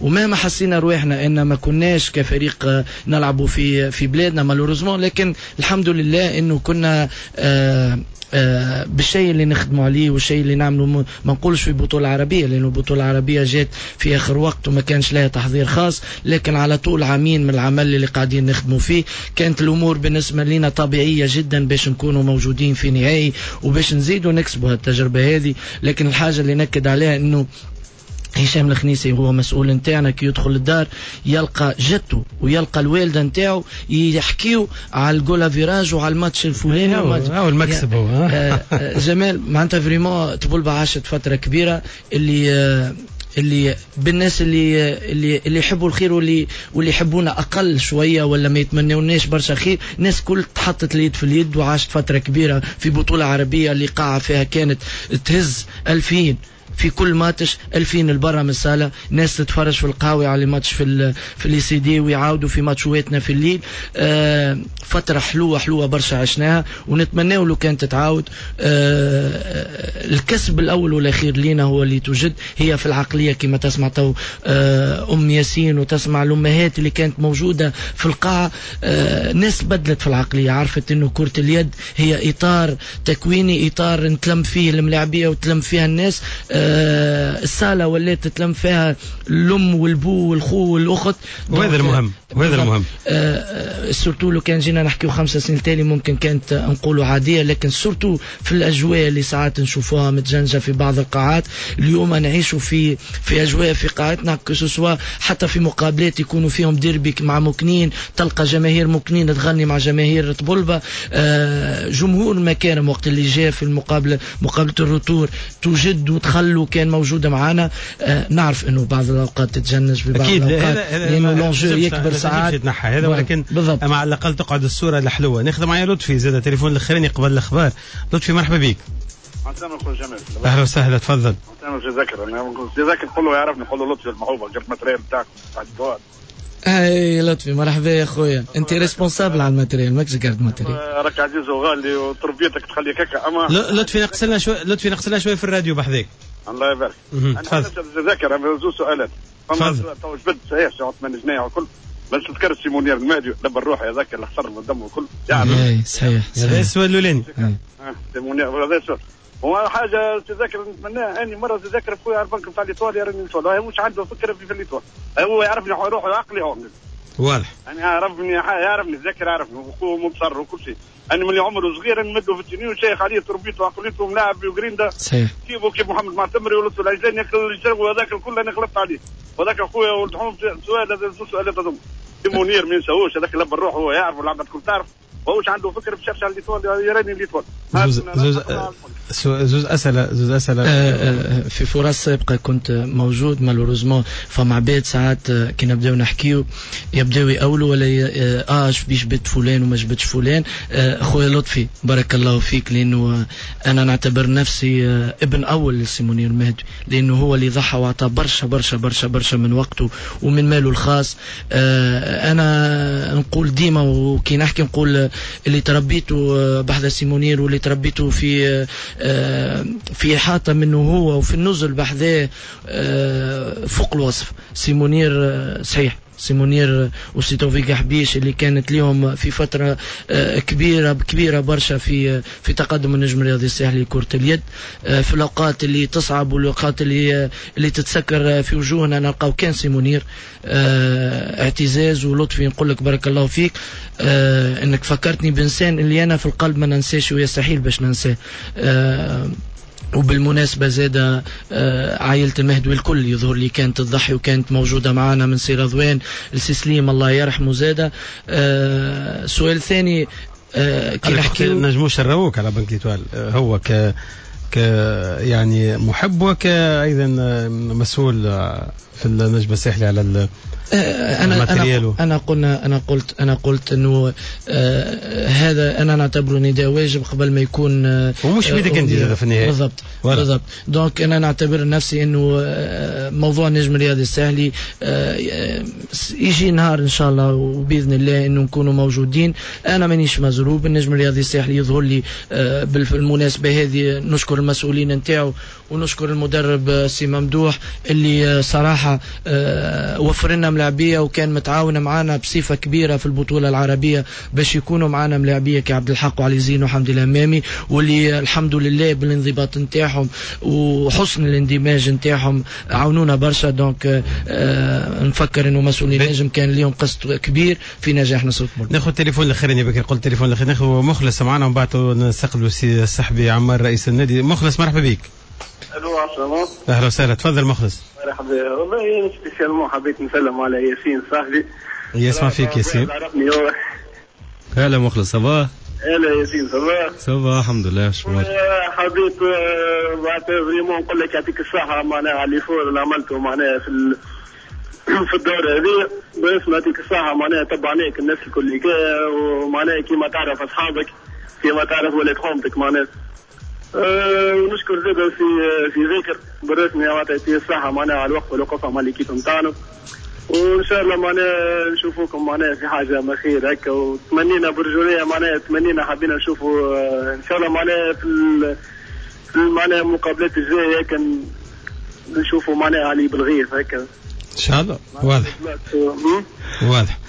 ومهما حسينا رواحنا ان ما كناش كفريق نلعبوا في في بلادنا malheureusement، لكن الحمد لله انه كنا آآ آآ بالشيء اللي نخدموا عليه والشيء اللي نعمله، ما نقولش في بطولة عربية لأنه البطولة العربية جات في آخر وقت وما كانش لها تحضير خاص، لكن على طول عامين من العمل اللي قاعدين نخدموا فيه كانت الأمور بالنسبة لنا طبيعية جدا باش نكونوا موجودين في نهائي وباش نزيدوا نكسبوا هالتجربة هذه. لكن الحاجة اللي نكد عليها انه هشام الخنيسي هو مسؤول نتاعنا، كي يدخل الدار يلقى جدته ويلقى الوالدة نتاعو يحكيو على ال goal average وعلى الماتش الفلاني، هو المكسب هو. جمال معناتها vraiment طبلبة عاشت فترة كبيرة اللي اللي بالناس اللي اللي اللي يحبوا الخير واللي واللي يحبونا اقل شوية ولا ما يتمنوناش برشا خير، الناس كل تحطت اليد في اليد وعاشت فترة كبيرة في بطوله عربية اللي قاعة فيها كانت تهز ألفين في كل ماتش، ألفين البرا من الصاله، ناس تتفرج في القهوة على ماتش في في les CD ويعاودوا في ماتشواتنا في الليل. آه فترة حلوة حلوة برشا عشناها ونتمناو لو كانت تتعاود. آه الكسب الاول والاخير لينا هو اللي توجد هي في العقلية، كما تسمع تو آه ام ياسين وتسمع الامهات اللي كانت موجودة في القاعة. آه ناس بدلت في العقلية، عرفت انه كره اليد هي اطار تكويني، اطار نتلم فيه الملاعبيه وتلم فيها الناس. آه الصالة ولات تتلم فيها الأم والبو والخو والأخت، وهذا المهم، وهذا المهم. آه surtout لو كان جينا نحكيو خمسة سنين تالي ممكن كانت نقولوا عادية، لكن surtout في الأجواء اللي ساعات نشوفوها متجنجة في بعض القاعات. اليوم نعيشوا في في أجواء في قاعتنا que ce soit حتى في مقابلات يكونوا فيهم ديربي مع مكنين، تلقى جماهير مكنين تغني مع جماهير طبلبة. آه جمهور المكارم وقت اللي جاء في المقابلة مقابلة ال retour توجد وتخلوا كان موجودة معنا. آه نعرف انه بعض الاوقات تتجنج في بعض الاوقات لانه l'enjeu يكبر ساعات يتنحى هذا، ولكن بالضبط. اما على الاقل تقعد الصورة الحلوة. ناخذ معايا لطفي زاد تليفون الاخراني قبل الاخبار. لطفي مرحبا بك. عسلامة خويا جمال. اهلا وسهلا، تفضل. عسلامة سي ذاكر، انا سي ذاكر نقول له يعرفني، نقول له لطفي المحوبه جاب matériel بتاعكم تاع الدوار. اي لطفي مرحبا يا خويا، انت responsable على ال matériel ماكش garde matériel. راك عزيز وغالي وتربيتك تخليك هكا. اما لطفي نقص لنا شوي، لطفي نقص لنا شوي في الراديو بحذاك. الله يبارك. انا نتذكر زوج سؤالات. فما تو جبد صحيح سي عثمان جناية وكل، بس تذكر سي منير المهدي دبر روحي هذاك اللي خسر من الدم وكل. يعني صحيح هذا السؤال الاولاني. سي منير هذا السؤال. هو حاجة تذكر نتمناها اني مرة تذكر خويا على البنك نتاع l'Étoile يراني l'Étoile، هو مش عنده فكرة في l'Étoile، هو يعرفني روحه عقلي هو واضح. يعني يعرفني يعرفني ذاكر يعرفني وخوه مبصر وكل شيء. انا من عمره صغير نمده في ال tenue وشيخ عليه تربيته وعقليته وملاعب وجريندا. صحيح. كيفه كيف محمد معتمري ولطفي العجلاني ياكل وهذاك الكل انا غلطت عليه. وهذاك خويا ولد حوم سؤال هذا سؤال هذوما. منير ما ينساهوش هذاك لب الروح هو يعرف والعباد الكل تعرف. وهوش عنده فكرة باش يرجع l'Étoile يراني l'Étoile. زوز زوز زوز اسئلة زوز اسئلة. في فرص سابقه كنت موجود malheureusement، فما عباد ساعات كي نبداو نحكيو يبداو يقولوا ولا اه باش جبت فلان وما جبتش فلان. خويا لطفي بارك الله فيك، لانه انا نعتبر نفسي ابن اول لسي منير المهدي، لانه هو اللي ضحى وعطى برشا برشا برشا برشا من وقته ومن ماله الخاص. انا نقول ديما وكي نحكي نقول اللي تربيته بحذا سي منير واللي تربيته في في إحاطة منه هو وفي النزل بحذاه فوق الوصف. سي منير صحيح سي منير وسي توفيق حبيش اللي كانت ليهم في فترة كبيرة كبيرة برشا في في تقدم النجم الرياضي الساحلي لكرة اليد. في الاوقات اللي تصعب والاوقات اللي اللي تتسكر في وجوهنا نلقاو كان سي منير. اعتزاز ولطفي نقول لك بارك الله فيك انك فكرتني بانسان اللي انا في القلب ما ننساش ويستحيل باش ننساه. وبالمناسبة زادة عائلة المهدوي الكل يظهر لي كانت تضحي وكانت موجودة معنا من سي رضوان لسي سليم الله يرحمه زادة. سؤال ثاني، كي نحكي نجموش نروك على Banque L'Étoile، هو ك ك يعني محب وكأيضا مسؤول في النجم الساحلي على ال انا انا انا قلنا انا قلت انا قلت انه آه هذا انا نعتبره نداء واجب قبل ما يكون آه ومش بيدك انت في النهاية. بالضبط بالضبط. donc انا نعتبر نفسي انه آه موضوع النجم الرياضي الساحلي آه يجي نهار ان شاء الله وباذن الله انه نكونوا موجودين. انا مانيش مزروب، النجم الرياضي الساحلي يظهر لي آه بالمناسبة هذه نشكر المسؤولين نتاعو ونشكر المدرب سي ممدوح اللي صراحة آه وفر لنا ملاعبيه وكان متعاون معنا بصفة كبيرة في البطولة العربية باش يكونوا معنا ملاعبيه كعبد الحق وعلي زين وحمدي الامامي، واللي الحمد لله بالانضباط نتاعهم وحسن الاندماج نتاعهم عاونونا برشا. donc آه نفكر انه مسؤولين النجم كان لهم قسط كبير في نجاح نصر بولبا. ناخذ التليفون الاخراني بكري، قلت التليفون الاخراني ناخذ مخلص معنا ومن بعد نستقبلوا سي الصحبي عمار رئيس النادي. مخلص مرحبا بك. الو عسلامة. اهلا وسهلا، تفضل مخلص. مرحبا. والله spécialement حبيت نسلم على ياسين صاحبي. يسمع فيك ياسين. هلا مخلص، ça va؟ هلا ياسين، ça va؟ ça va الحمد لله. شو حبيت معناتها vraiment نقول لك يعطيك الصحة معناها على l'effort اللي عملته معناها في ال... في الدورة هذه، بس يعطيك الصحة معناها تبعناك الناس الكل ومعناها كيما تعرف أصحابك كيما تعرف ولاد حومتك معناها. أه ونشكر زاد في في ذاكر بالرسمي معناتها يعطيه الصحة معناها على الوقت والوقفة مع l'équipe نتاعنا، وإن شاء الله معناها نشوفوكم معناها في حاجة ما خير هكا، وتمنينا برجولية معناها تمنينا حبينا نشوفوا إن شاء الله معناها في في معناها المقابلات الجاية هكا نشوفوا معناها علي بالغيث هكا إن شاء الله. واضح واضح،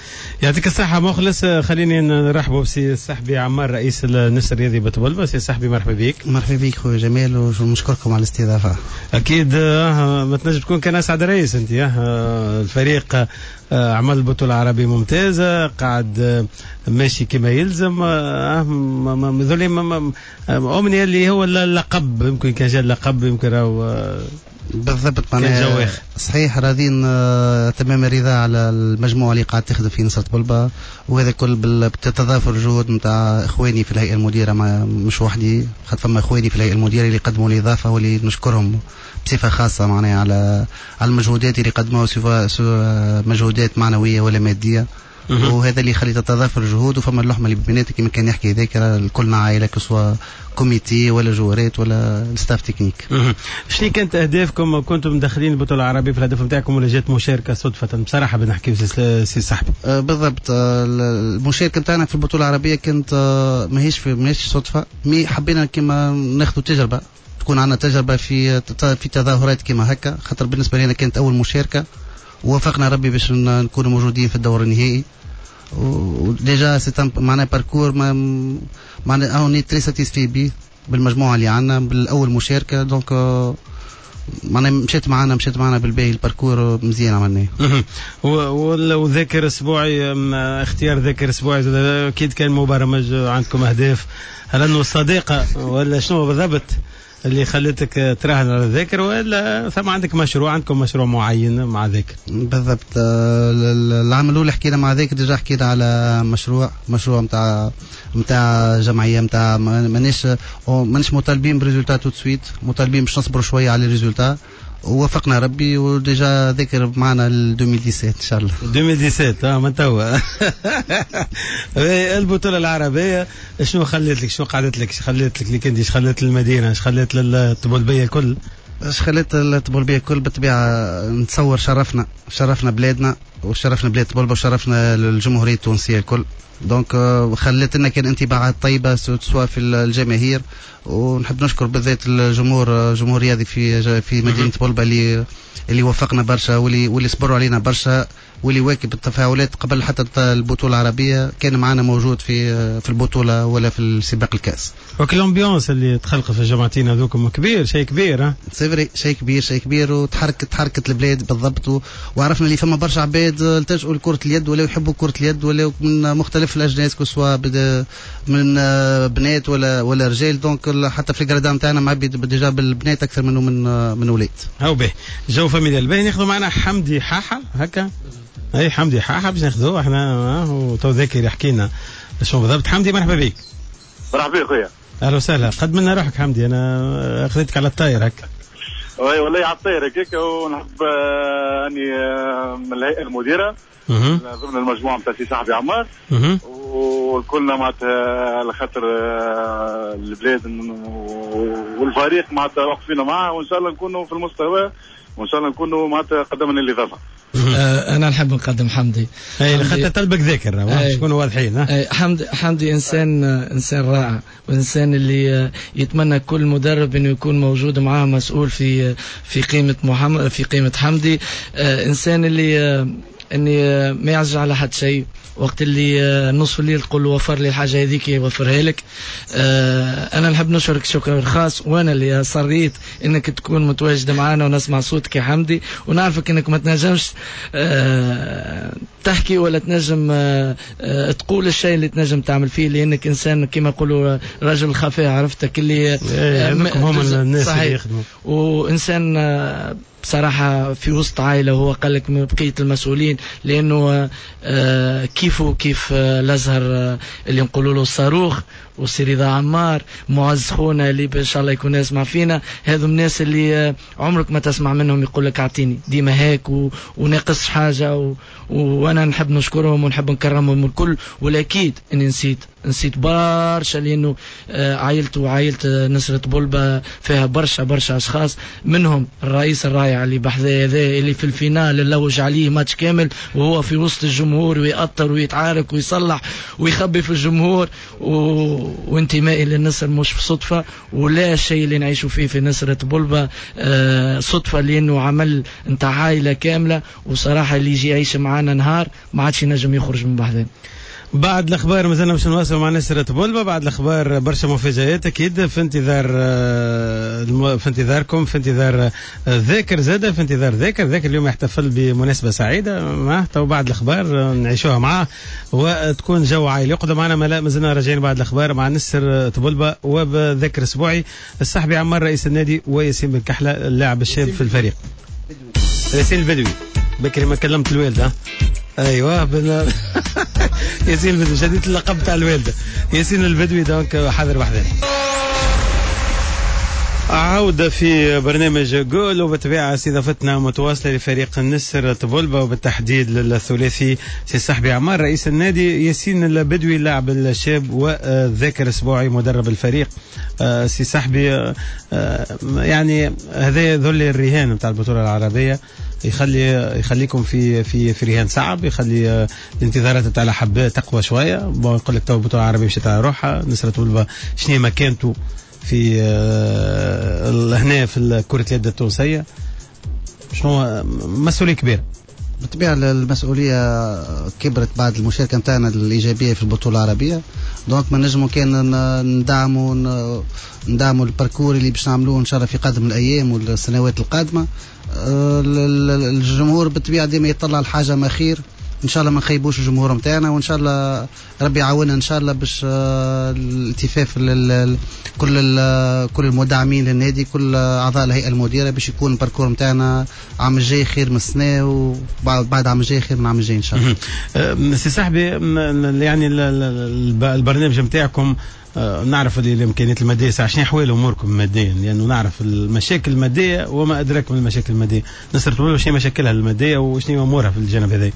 يعطيك الصحة مخلص. خليني نرحبوا بسي الصحبي عمار رئيس النسر الرياضي بطبلبة. سي الصحبي مرحبا بك. مرحبا بك خويا جمال ونشكركم على الاستضافة. أكيد ما تنجم تكون كان أسعد رئيس أنت. الفريق عمل بطولة عربية ممتازة، قاعد ماشي كما يلزم. ذولي أمنية اللي هو اللقب، يمكن كان جاء اللقب يمكن راهو بالضبط معناها صحيح. راضين تمام الرضا على المجموعة اللي قاعد تخدم في نصرة بولبا، وهذا كل بتتضافر الجهود نتاع اخواني في الهيئة المديرة، ما مش وحدي، خاطر فما اخواني في الهيئة المديرة اللي قدموا الاضافة واللي نشكرهم بصفة خاصة معناها على على المجهودات اللي قدموها، سواء مجهودات معنوية ولا مادية. وهذا اللي يخلي تتضافر الجهود وفما اللحمة اللي بيناتك كما كان يحكي ذاك كلنا عائلة، سواء comité ولا جوارات ولا staff technique. شنو كانت اهدافكم؟ كنتم مدخلين البطولة العربية في الهدف نتاعكم ولا جات مشاركة صدفة؟ بصراحة بنحكي سي صاحبي. أه بالضبط، المشاركة نتاعنا في البطولة العربية كانت ماهيش في ماهيش صدفة، mais حبينا كما ناخذ تجربه، تكون عندنا تجربه في في تظاهرات كما هكا، خاطر بالنسبة لنا كانت اول مشاركة، ووافقنا ربي باش نكونوا موجودين في الدور النهائي. و déjà c'est معناها parcours معناها on est très satisfait بيه بالمجموعة اللي عندنا بالاول مشاركة، donc معناها مشيت معنا مشيت معنا بالباهي، ال parcours مزيان عملناه. وذاكر اسبوعي، اختيار ذاكر اسبوعي اكيد كان مبرمج، عندكم اهداف، هل انه الصديقة ولا شنو بالضبط اللي خلتك تراهن على ذاكر، ولا ثم عندك مشروع، عندكم مشروع معين مع ذاكر؟ بالضبط، العام الاول حكينا مع ذاكر، déjà حكينا على مشروع مشروع نتاع نتاع جمعية نتاع مانيش مانيش مطالبين ب résultat tout de suite، مطالبين باش نصبروا شوية على résultat، ووافقنا ربي و déjà ذاكر معنا ل ألفين وسبعطاش ان شاء الله. ألفين وسبعطاش اه من توا. البطولة العربية شنو خلت لك، شنو قعدت لك، خلت لك ليك انت، خلت للمدينة، خلت للطبلبيه الكل؟ اش خلت الطبلبيه الكل؟ بالطبيعة نتصور شرفنا، شرفنا بلادنا وشرفنا بلاد طبلبه وشرفنا الجمهورية التونسية الكل، donc خلت لنا كان انطباعات طيبة سواء في الجماهير، ونحب نشكر بالذات الجمهور الجمهور الرياضي في في مدينة طبلبه اللي اللي وفقنا برشا واللي واللي صبروا علينا برشا واللي واكب التفاعلات قبل حتى البطولة العربية كان معنا موجود في في البطولة ولا في السباق الكاس. وكل l'ambiance اللي تخلق في الجمعتين هذوكم كبير، شيء كبير. ها c'est vrai، شيء كبير، شيء كبير، وتحركت تحركت البلاد بالضبط، وعرفنا اللي فما برشا عباد التجؤوا لكرة اليد ولا يحبوا كره اليد ولا من مختلف الاجناس، que ce soit من بنات ولا ولا رجال. donc حتى في ال gradins نتاعنا معبي déjà بالبنات اكثر منه من من ولاد. هاو به جو familial. باهي ناخذوا معنا حمدي حاحه هكا، اي حمدي حاحه باش ناخذوه احنا وتو ذاكر يحكي لنا شنو بالضبط. حمدي مرحبا بك. مرحبا بك خويا. اهلا وسهلا، قدم لنا روحك حمدي، انا اخذتك على الطاير هكا. oui والله على الطاير هكاك، ونحب اني من الهيئة المديرة ضمن المجموعة نتاع سي صاحبي عمار، وكلنا معناتها على خاطر البلاد والفريق معناتها واقفين معاه، وان شاء الله نكونوا في المستوى، وان شاء الله نكونوا معناتها قدمنا الاضافة. انا نحب نقدم حمدي. اي خاطر طلبك ذاكر باش نكونوا واضحين. حمدي حمدي انسان انسان رائع، وانسان اللي يتمنى كل مدرب انه يكون موجود معاه مسؤول في في قيمة محمد، في قيمة حمدي. انسان اللي اني ما يعزج على حد شيء، وقت اللي نصف الليل تقول له وفر لي الحاجة هذيك يوفرها لك. انا نحب نشكرك شكر خاص، وانا اللي صريت انك تكون متواجد معنا ونسمع صوتك يا حمدي، ونعرفك انك ما تنجمش تحكي ولا تنجم تقول الشيء اللي تنجم تعمل فيه، لانك انسان كما يقولوا رجل خفاء، عرفتك اللي هم الناس اللي يخدموا، وانسان بصراحة في وسط عائلة، هو قال لك من بقية المسؤولين، لأنه كيفه كيف الأزهر اللي نقولوا له الصاروخ، وسي رضا عمار، معز خونا اللي إن شاء الله يكون يسمع فينا، هذو الناس اللي عمرك ما تسمع منهم يقول لك أعطيني ديما هيك و... وناقص حاجة و... وأنا نحب نشكرهم ونحب نكرمهم الكل. والأكيد إني نسيت نسيت برشا، لأنه عائلته وعائلة نسرة بولبة فيها برشا برشا أشخاص، منهم الرئيس الرائع اللي بحذا هذا اللي في ال finale اللوج عليه ماتش كامل وهو في وسط الجمهور ويأطر ويتعارك ويصلح ويخبي في الجمهور و... وانتمائي للنصر مش في صدفة، ولا شيء اللي نعيشه فيه في نسرة بولبة آه صدفة، لأنه عمل نتاع عائلة كاملة، وصراحة اللي يجي يعيش معانا نهار ما عادش ينجم يخرج من بحذا. بعد الاخبار مازلنا باش نواصلوا مع نسرة بولبة. بعد الاخبار برشا مفاجآت اكيد في انتظار في انتظاركم، في انتظار ذاكر زاده، في انتظار ذاكر ذاكر اليوم يحتفل بمناسبة سعيدة معه، تو بعد الاخبار نعيشوها معاه وتكون جو عائلي. يقعدوا معنا مازلنا راجعين بعد الاخبار مع نسرة بولبة وبذاكر اسبوعي الصحبي عمار رئيس النادي وياسين بن كحلة اللاعب الشاب في الفريق. ياسين البدوي بكري ما كلمت الوالدة. ايوه بن... ياسين البدوي شديت اللقب تاع الوالدة. ياسين البدوي donc حاضر وحدنا. عودة في برنامج جول، وبالطبيعة استضافتنا متواصلة لفريق النسر طبلبة وبالتحديد للثلاثي سي صاحبي عمار رئيس النادي، ياسين البدوي اللاعب الشاب، وذاكر اسبوعي مدرب الفريق. سي صاحبي، يعني هذا ذل الرهان نتاع البطولة العربية يخلي يخليكم في في في رهان صعب، يخلي الانتظارات تاع الحبات تقوى شوية. نقول لك تو البطولة العربية مشات على روحها، نسرة طبلبة شنو مكانته في هنا في كرة اليد التونسية، شنو مسؤولية كبيرة؟ بالطبيعة المسؤولية كبرت بعد المشاركة نتاعنا الإيجابية في البطولة العربية، donc ما نجمو كان ندعموا ندعموا ال parcours اللي باش نعملوه إن شاء الله في قادم الأيام والسنوات القادمة. الجمهور بالطبيعة ديما يطلع الحاجة ما خير، ان شاء الله ما نخيبوش الجمهور نتاعنا، وان شاء الله ربي يعاوننا ان شاء الله باش الالتفاف كل كل المدعمين للنادي، كل اعضاء الهيئة المديرة، باش يكون ال parcours نتاعنا عام الجاي خير من السنة، وبعد عام الجاي خير من عام الجاي ان شاء الله. سي صاحبي، يعني البرنامج نتاعكم نعرف الامكانيات المادية، ساعة شنو احوال اموركم ماديا؟ لانه نعرف المشاكل المادية وما ادراك من المشاكل المادية. نسرة طبلبة شنو مشاكلها المادية وشنو امورها في الجانب هذا؟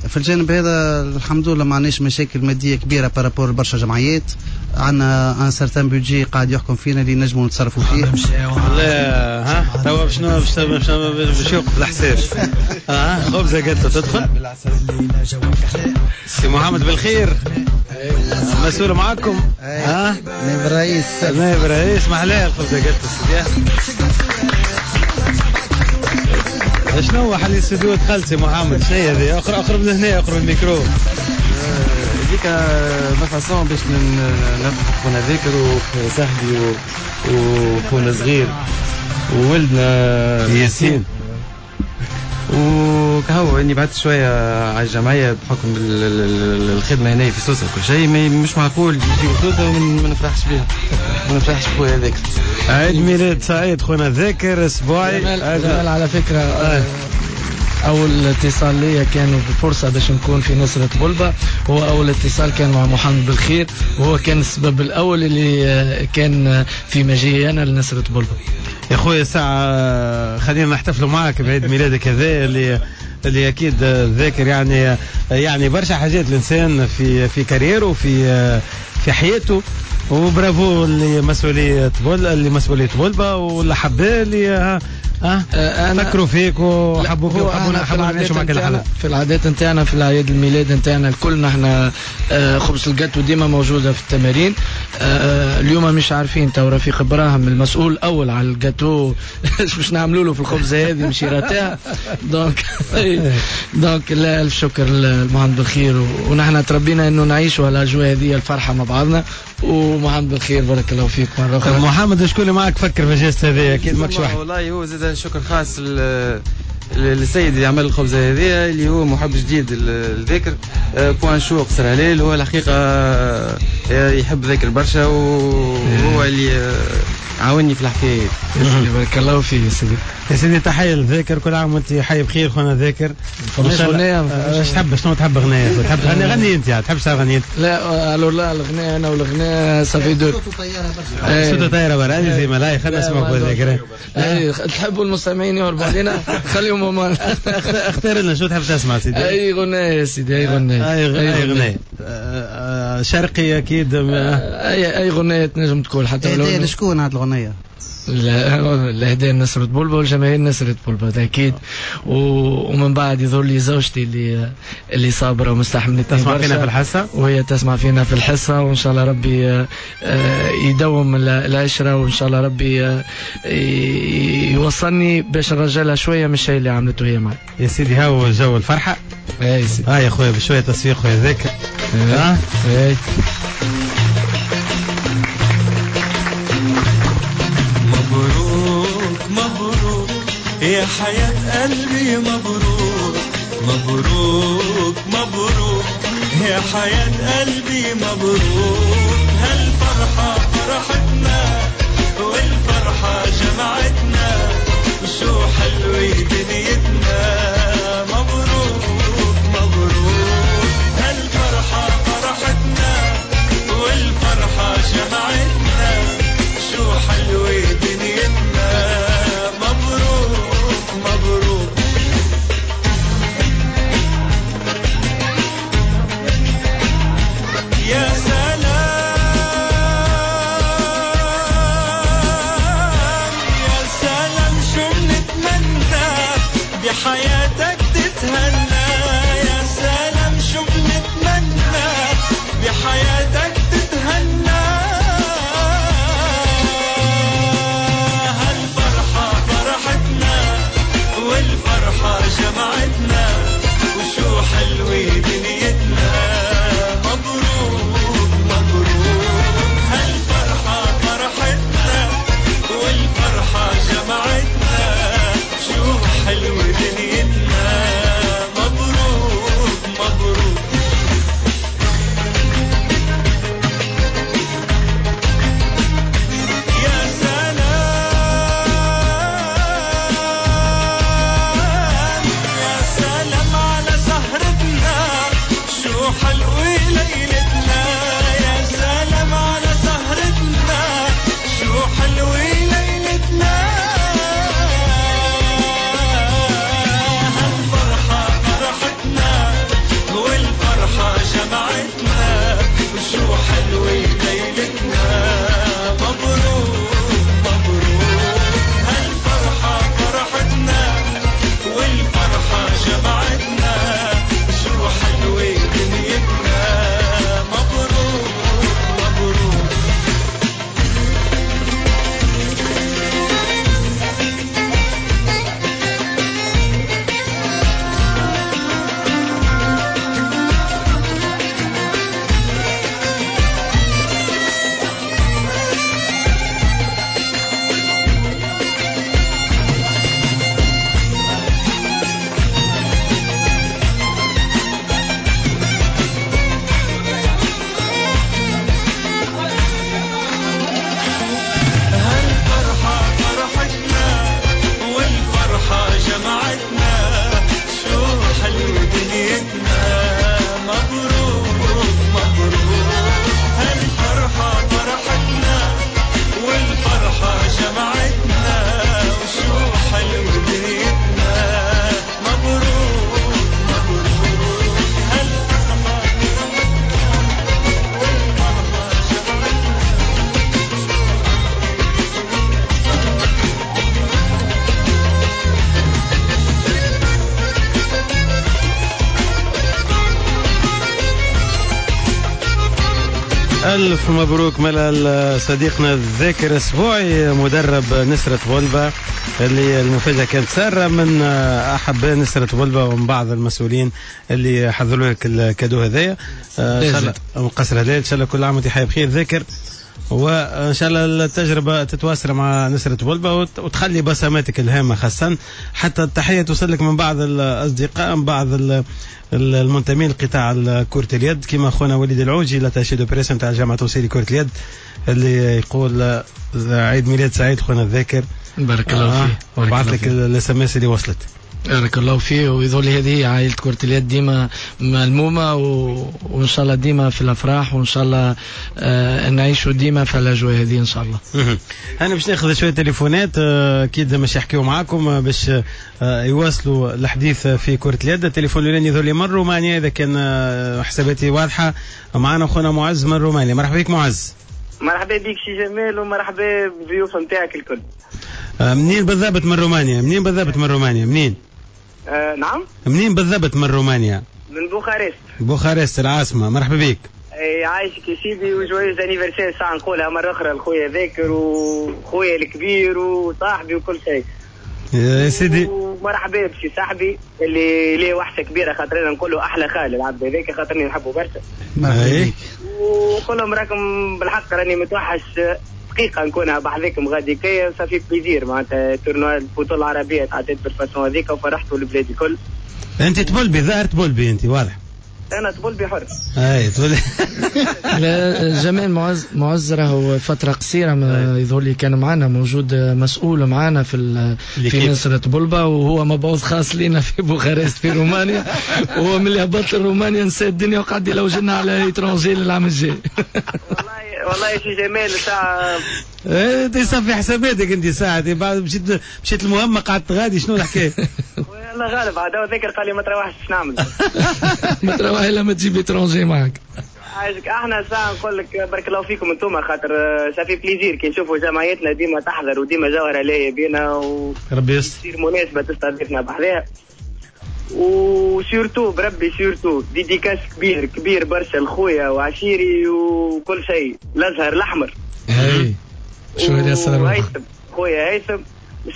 في الجانب هذا الحمد لله ما عندناش مشاكل مادية كبيرة par rapport برشا جمعيات، عندنا un certain budget قاعد يحكم فينا اللي نجموا نتصرفوا فيه. لا ها توا باش باش باش يوقف الحساب. اه خبزه قالت تدخل. سي محمد بالخير مسؤول معاكم. ها نائب الرئيس، نائب الرئيس محلاه الخبزة قالت سيدي. شنو حل الاستوديو دخلت سي محمد؟ شنو هي هذه؟ اقرب اقرب من هنا، اقرب الميكرو. هذيك ma façon باش نفرح خونا ذاكر وصاحبي وخونا صغير وولدنا ياسين. وكهو اني بعدت شوية على الجمعية بحكم الخدمة هنا في سوسة كل شيء، مش معقول يجيو سوسة وما نفرحش بيها، ما نفرحش بخويا ذاكر. عيد ميلاد سعيد خونا ذاكر اسبوعي. جمال على فكرة آه. أول اتصال ليا كان بفرصة باش نكون في نصرة بلبة، هو أول اتصال كان مع محمد بالخير، وهو كان السبب الأول اللي كان في مجيئي أنا لنصرة بلبة. يا خويا ساعة خلينا نحتفلوا معك بعيد ميلادك هذا اللي اللي أكيد ذاكر يعني يعني برشا حاجات الإنسان في في carrière ه في في حياته، وبرافو لمسؤولية بول لمسؤولية بلبة والأحباء اللي ها أه؟ فكروا فيك وحبوك وحبونا حبونا نعيشوا معك الحلقة. في العادات نتاعنا في الأعياد الميلاد نتاعنا الكل نحن خبز الجاتو ديما موجودة في التمارين. اليوم مش عارفين تو رفيق ابراهيم المسؤول الأول على الجاتو باش نعملوا له في الخبزة هذه مش راتها. donc donc لا ألف شكر لمحمد بالخير، ونحن تربينا انه نعيشوا على الأجواء هذه الفرحة مع بعضنا. ومحمد بالخير بارك الله فيك مرة أخرى. محمد شكون اللي معك فكر في ال geste هذه؟ أكيد ماكش واحد. والله هو زاد شكر خاص للسيد اللي عمل الخبزة هذه اللي هو محب جديد للذكر بوان شو قصر هلال، هو الحقيقة يحب ذاكر برشا وهو اللي عاوني في الحكاية. بارك الله فيك يا سيدي. يا سيدي تحية للذاكر، كل عام وانت حي بخير خونا ذاكر. فماش غنية؟ اش تحب؟ شنو تحب غنية؟ تحب تغني؟ غني انت، تحب تغني انت؟ لا alors لا الغناء انا والغناء ça fait deux. صوته طيارة برشا. صوته طيارة برشا، زي ما لا خلينا نسمعك ذاكر. تحبوا المستمعين يهربوا علينا خليهم هما. اختار لنا شو تحب تسمع سيدي؟ اي غناية يا سيدي، اي غناية. اي غناية شرقي اكيد. اي اي غناية تنجم تكون حتى ولو. لشكون هذه الغنية؟ الهدايا نصرة بلبة والجماهير نصرة بلبة اكيد. ومن بعد يظهر لي زوجتي اللي اللي صابره ومستحملتني تسمع فينا في الحصة، وهي تسمع فينا في الحصة، وان شاء الله ربي يدوم العشرة، وان شاء الله ربي يوصلني باش نرجع شوية من الشيء اللي عملته هي معي. يا سيدي هاو جو الفرحة. اي سيدي. اه يا خويا بشوية تصفيق خويا ذاك. اه اي. مبروك مبروك يا حياة قلبي، مبروك مبروك مبروك يا حياة قلبي مبروك. هالفرحة فرحتنا والفرحة جمعتنا، وشو حلوة دنيتنا. مبروك مبروك هالفرحة فرحتنا والفرحة جمعتنا، شو حلوة دنيتنا. مبروك مبروك. يا سلام يا سلام شو بنتمنى بحياتك تتهنى، يا سلام شو بنتمنى بحياتك تتهنى. والفرحة جمعتنا، وشو حلوة دنيتنا. مبروك مبروك هالفرحة فرحتنا والفرحة جمعتنا، شو حلوة دنيتنا. ألف مبروك ملال صديقنا الذاكر السبوعي مدرب نسرة طبلبة، اللي المفاجأة كانت سارة من أحباء نسرة طبلبة ومن بعض المسؤولين اللي حضروا لك ال cadeau هذايا. إن شاء الله من قصر هلال، إن شاء الله كل عام وأنت حي بخير ذاكر، وإن شاء الله التجربة تتواصل مع نسرة طبلبة وتخلي بصماتك الهامة، خاصة حتى التحية توصل لك من بعض الأصدقاء، من بعض المنتمين لقطاع كرة اليد، كما أخونا وليد العوجي l'attaché de presse نتاع الجامعة التونسية لكرة اليد، اللي يقول عيد ميلاد سعيد خونا الذاكر. بارك الله فيه. وبعث لك ال SMS اللي وصلت. بارك الله فيه. ويظل هذه عائلة كرة اليد ديما ملمومة، و... وإن شاء الله ديما في الأفراح، وإن شاء الله آه نعيشوا ديما في الأجواء هذه إن شاء الله. أنا باش ناخذ شوية تليفونات أكيد باش يحكيوا معاكم باش يواصلوا الحديث في كرة اليد. التليفون الأولاني يظل من رومانيا إذا كان حساباتي واضحة. معنا أخونا معز من رومانيا. مرحبا بك معز. مرحبا بك سي جمال، ومرحبا بالضيوف نتاعك الكل. منين بالضبط من رومانيا؟ منين بالضبط من رومانيا؟ منين؟ آه نعم. منين بالضبط من رومانيا؟ من بوخارست. بوخارست العاصمة. مرحبا بك. اي عايشك يا سيدي، و joyeux anniversaire ساعة نقولها مرة أخرى لخويا ذاكر وخويا الكبير وصاحبي وكل شيء. يا سيدي. ومرحبا بسي صاحبي اللي ليه وحشة كبيرة، خاطرنا نقول له أحلى خال العبد هذاك، خاطرني نحبه برشا. مرحبا بك. ونقول لهم راكم بالحق راني متوحش دقيقة نكونها بحذاكم غادي كي ça fait plaisir، معناتها tournoi البطولة العربية تعديت بال façon هذيك وفرحتوا البلاد الكل. أنت تبلبي، ظاهر تبلبي أنت، واضح. أنا تبلبي حر. أي تبلبي. لا جمال معز معز راهو فترة قصيرة يظهر لي كان معنا موجود مسؤول معنا في في نسرة طبلبة، وهو مبعوث خاص لنا في بوخارست في رومانيا، وهو من اللي هبط لرومانيا نسى الدنيا وقعد يلوجنا على étranger للعام الجاي. والله والله سي جمال ساعة انت صافي حساباتك انت ساعة بعد مشيت مشيت المهمة قعدت غادي، شنو الحكاية؟ والله غالب عاد هو ذاكر قال لي ما تروحش باش نعمل. ما تروح الا ما تجيب étranger معك. عايشك. احنا ساعة نقول لك بارك الله فيكم انتم، خاطر ça fait plaisir كي نشوفوا جمعيتنا ديما تحضر وديما جوهرة لاهية بينا و ربي يستر، تصير مناسبة تستضيفنا بحذاها. و surtout بربي surtout dédicace كبير كبير برشا لخويا وعشيري وكل شيء، الازهر الاحمر. اي شو اللي صار؟ هيثم خويا هيثم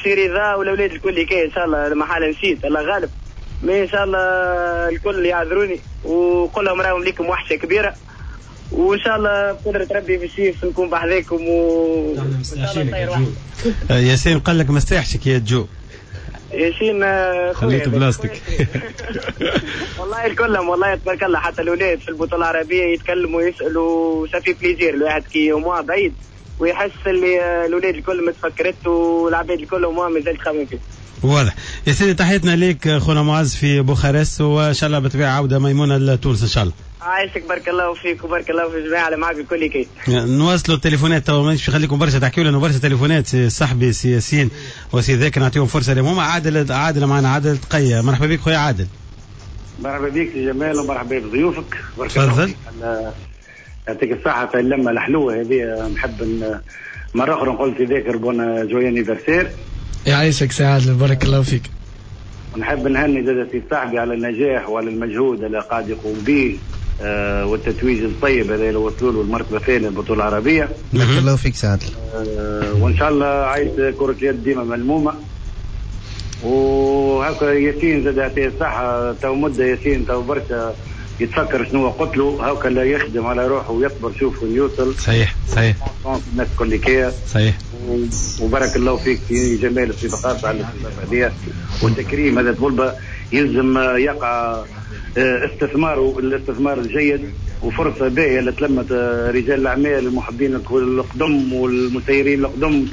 سي رضا والاولاد الكل كي ان شاء الله لما حال نسيت الله غالب، mais ان شاء الله الكل يعذروني وقول لهم راهم ليكم وحشة كبيرة، وان شاء الله بقدره ربي في الشيف نكون بحذاكم و ياسين قال لك مستاحشك يا جو. ياسين خليت بلاستيك. والله الكلهم والله تبارك الله، حتى الاولاد في البطولة العربية يتكلموا ويسالوا، ça fait plaisir الواحد كي au moins بعيد ويحس اللي الاولاد الكل متفكرت والعباد الكل au moins مازال تخمم فيه. واضح يا سيدي، تحياتنا ليك خونا معز في بوخارست، وان شاء الله بالطبيعة عوده ميمونة لتونس ان شاء الله. عايشك بارك الله فيك وبارك الله في الجماعة اللي معاك الكل كي. نواصلوا التليفونات تو، مانيش نخليكم برشا تحكيوا لنا برشا تليفونات، سي صاحبي سي ياسين وسي ذاك نعطيهم فرصة لهم هما. عادل عادل معنا، عادل تقيه. مرحبا بك خويا عادل. مرحبا بك يا جمال ومرحبا بضيوفك. تفضل. يعطيك الصحة في اللمة الحلوة هذه. نحب مرة اخرى نقول سي ذاكر bon joyeux anniversaire. يعيشك سي عادل بارك الله فيك. ونحب نهني زاد سي صاحبي على النجاح وعلى المجهود اللي قاعد يقوم به آه والتتويج الطيب هذا اللي وصلوا له المرتبة الثانية البطولة العربية. بارك الله فيك سي عادل. آه وان شاء الله عايشه كره اليد ديما ملمومه. وهكا ياسين زاد يعطيه الصحة، تو مده ياسين تو برشا يتفكر شنو قتلو، هاكا لا يخدم على روحه ويصبر شوف وين يوصل. صحيح صحيح. الناس الكل كي صحيح. وبارك الله فيك في جمال الصفقات على الاستضافة والتكريم هذا طبلبة يلزم يقع استثماره الاستثمار الجيد، وفرصه باهيه اللي تلمت رجال الاعمال المحبين القدم والمسيرين القدم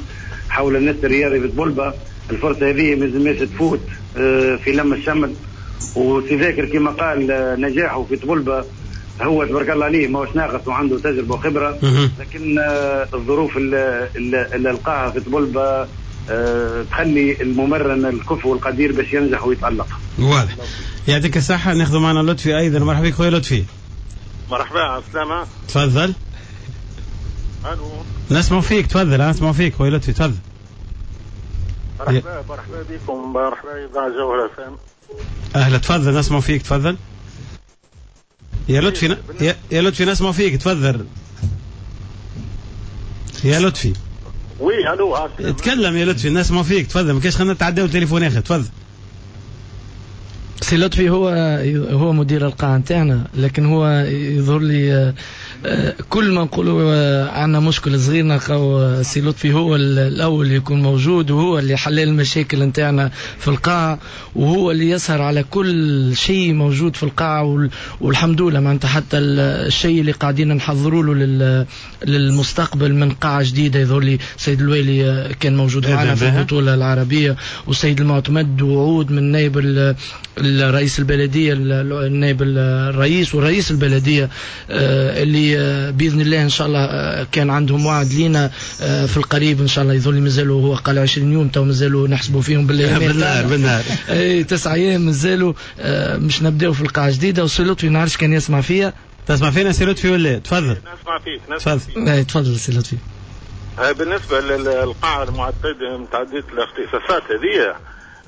حول الناس الرياضي في طبلبة. الفرصة هذه ما لازمش تفوت في لم الشمل. وسي ذاكر كما قال نجاحه في طبلبة هو تبارك الله عليه ماهوش ناقص وعنده تجربه وخبره، لكن الظروف اللي, اللي لقاها في طبلبة تخلي الممرن الكفو والقدير باش ينجح ويتألق. واضح. يعطيك الصحة. ناخذ معنا لطفي أيضا. مرحبا بك خويا لطفي. مرحبا على السلامة. تفضل. الو. نسمع فيك، تفضل. نسمع فيك خويا لطفي، تفضل. مرحبا مرحبا بكم، مرحبا إذاعة جوهرة إف إم. أهلا، تفضل نسمع فيك، تفضل. يا لطفي يا لطفي نسمع فيك، تفضل. يا لطفي. oui الو. تكلم يا لطفي، الناس ما فيك، تفضل، ما كاش خلينا نتعداو التليفون اخر، تفضل. سي لطفي هو هو مدير القاعة نتاعنا، لكن هو يظهر لي كل ما نقولوا عندنا مشكل صغير نلقاو سي لطفي هو الأول اللي يكون موجود، وهو اللي حل المشاكل نتاعنا في القاعة، وهو اللي يسهر على كل شيء موجود في القاعة، والحمد لله معناتها حتى الشيء اللي قاعدين نحضروا له للمستقبل من قاعة جديدة، يظهر لي سيد الوالي كان موجود معنا في البطولة العربية، والسيد المعتمد وعود من نائب الرئيس البلدية، النائب الرئيس ورئيس البلدية، اللي بإذن الله إن شاء الله كان عندهم وعد لينا في القريب إن شاء الله. يظل مازالوا، هو قال عشرين يوم تو مازالوا نحسبوا فيهم بالأيام، بالنهار بالنهار اي تسعة أيام مازالوا مش نبداو في القاعة جديدة. وسي لطفي ما نعرفش كان يسمع فيا. تسمع فينا سي لطفي ولا؟ تفضل. نسمع فيك. نسمع فيك. تفضل سي لطفي. بالنسبة للقاعة المعتدة متعددة الاختصاصات هذه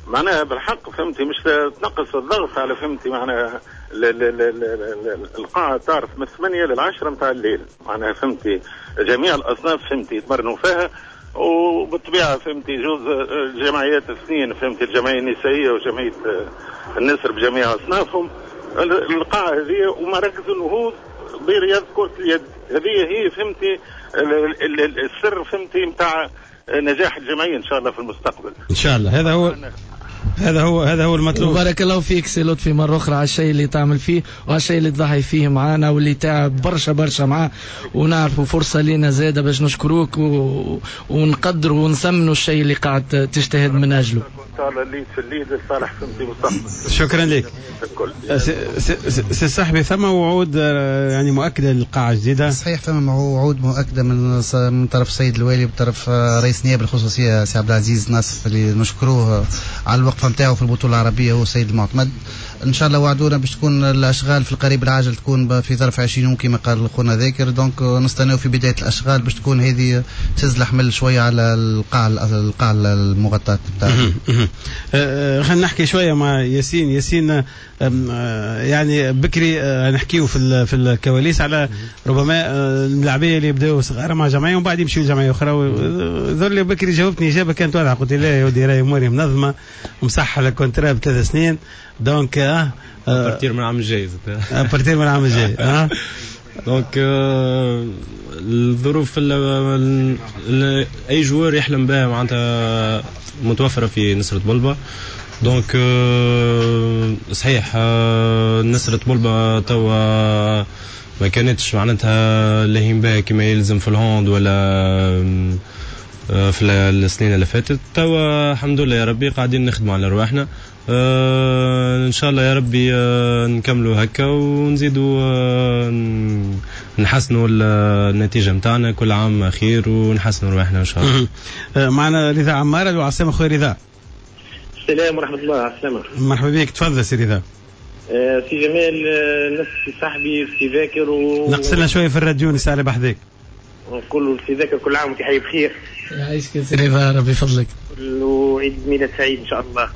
معناها بالحق فهمتي مش تنقص الضغط على فهمتي معناها القاعة تعرف من ثمانية للعشرة متاع الليل معناها فهمتي جميع الأصناف فهمتي يتمرنوا فيها، وبالطبيعة فهمتي جوز الجمعيات الاثنين فهمتي الجمعية النسائية وجمعية النسر بجميع أصنافهم. القاعة هذه ومراكز النهوض برياض كرة اليد هذه هي فهمتي السر فهمتي متاع نجاح الجمعية إن شاء الله في المستقبل. إن شاء الله هذا هو هذا هو هذا هو المطلوب. بارك الله فيك سي لطفي مرة أخرى على الشيء اللي تعمل فيه وعلى الشيء اللي تضحي فيه معانا واللي تعب برشا برشا معاه، ونعرفوا فرصة لينا زادة باش نشكروك و... ونقدروا ونثمنوا الشيء اللي قاعد تجتهد من أجله. إن شاء الله الليد في الليد لصالح فهمتي مستقبل. شكرا لك. سي صاحبي، ثم وعود يعني مؤكدة للقاعة الجديدة؟ صحيح، ثم وعود مؤكدة من من طرف السيد الوالي وطرف رئيس نيابة الخصوصية سي عبد العزيز ناصف اللي نشكروه على الوقفة نتاعو في البطولة العربية هو السيد المعتمد. ان شاء الله وعدونا باش تكون الاشغال في القريب العاجل تكون في ظرف عشرين يوم كما قال خونا ذاكر، donc نستناو في بداية الاشغال باش تكون هذه تهز الحمل شوية على القاعة القاعة المغطاه نتاعنا. خلينا نحكي شوية مع ياسين. ياسين يعني بكري نحكيو في في الكواليس على ربما الملاعبيه اللي يبداو صغار مع جمعية ومن بعد يمشيو لجمعية اخرى. ذل بكري جاوبتني اجابه كانت واضحة، قلت لا يا ودي راهي اموري منظمة ومصحه ال contrat بثلاث سنين، donc اه à partir من العام الجاي à partir من العام الجاي اه donc الظروف اي joueur يحلم بها معناتها متوفرة في نسرة بلبة. donc صحيح نسرة بلبة توا ما كانتش معناتها لاهين بها كما يلزم في ال hand ولا في السنين اللي فاتت. توا الحمد لله يا ربي قاعدين نخدموا على رواحنا، آه ان شاء الله يا ربي آه نكملوا هكا ونزيدوا آه نحسنوا النتيجة نتاعنا كل عام خير ونحسنوا رواحنا ان شاء الله. معنا رضا عمار العاصمة. خويا رضا. السلام ورحمة الله. على السلامة. مرحبا بك، تفضل سي رضا. آه سي جمال، آه نفس صاحبي سي ذاكر و نقصلنا شوية في الراديو نسال بحذاك. نقول سي ذاكر كل عام وانت حي بخير. يعيشك سي رضا، ربي يفضلك. وعيد ميلاد سعيد ان شاء الله.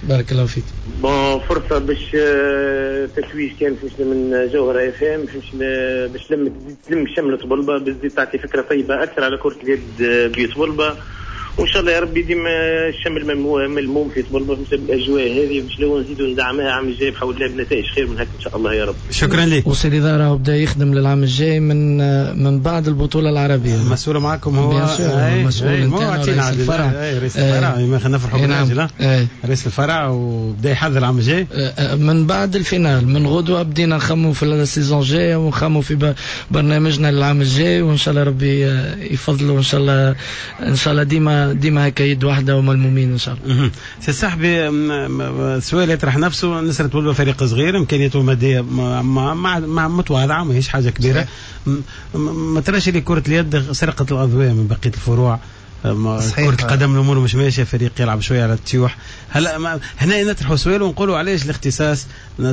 بارك الله فيك. bon فرصة باش تتويج كان فهمتني من جوهره اف ام، فهمتني باش تلم تلم شمل طبلبه، باش تزيد تعطي فكرة طيبة اكثر على كره اليد بيت طبلبه، وان شاء الله يا ربي ديما الشمل ملموم في طبلبه بالاجواء هذه باش لو نزيدوا ندعمها العام الجاي بحول الله بنتائج خير من هكا ان شاء الله يا رب. شكرا لك. وسي رضا راهو بدا يخدم للعام الجاي من من بعد البطولة العربية. المسؤول معكم هو المسؤول نتاعنا رئيس الفرع. رئيس الفرع ما خلينا نفرحوا بالراجل. رئيس الفرع وبدا يحضر العام الجاي من بعد ال finale، من غدوه بدينا نخموا في ال saison الجاية ونخموا في برنامجنا للعام الجاي، وان شاء الله ربي يفضله، وان شاء الله ان شاء الله ديما ديما هكا يد واحدة وملمومين ان شاء الله. سي صاحبي، سؤال يطرح نفسه، نسرة طبلبة فريق صغير امكانياته المادية متواضعة ماهيش حاجة كبيرة، ما تراش اللي كره اليد سرقت الاضواء من بقية الفروع؟ كرة القدم الامور مش ماشية، فريق يلعب شوية على التيوح. هلا هنا نطرحوا سؤال ونقولوا علاش الاختصاص؟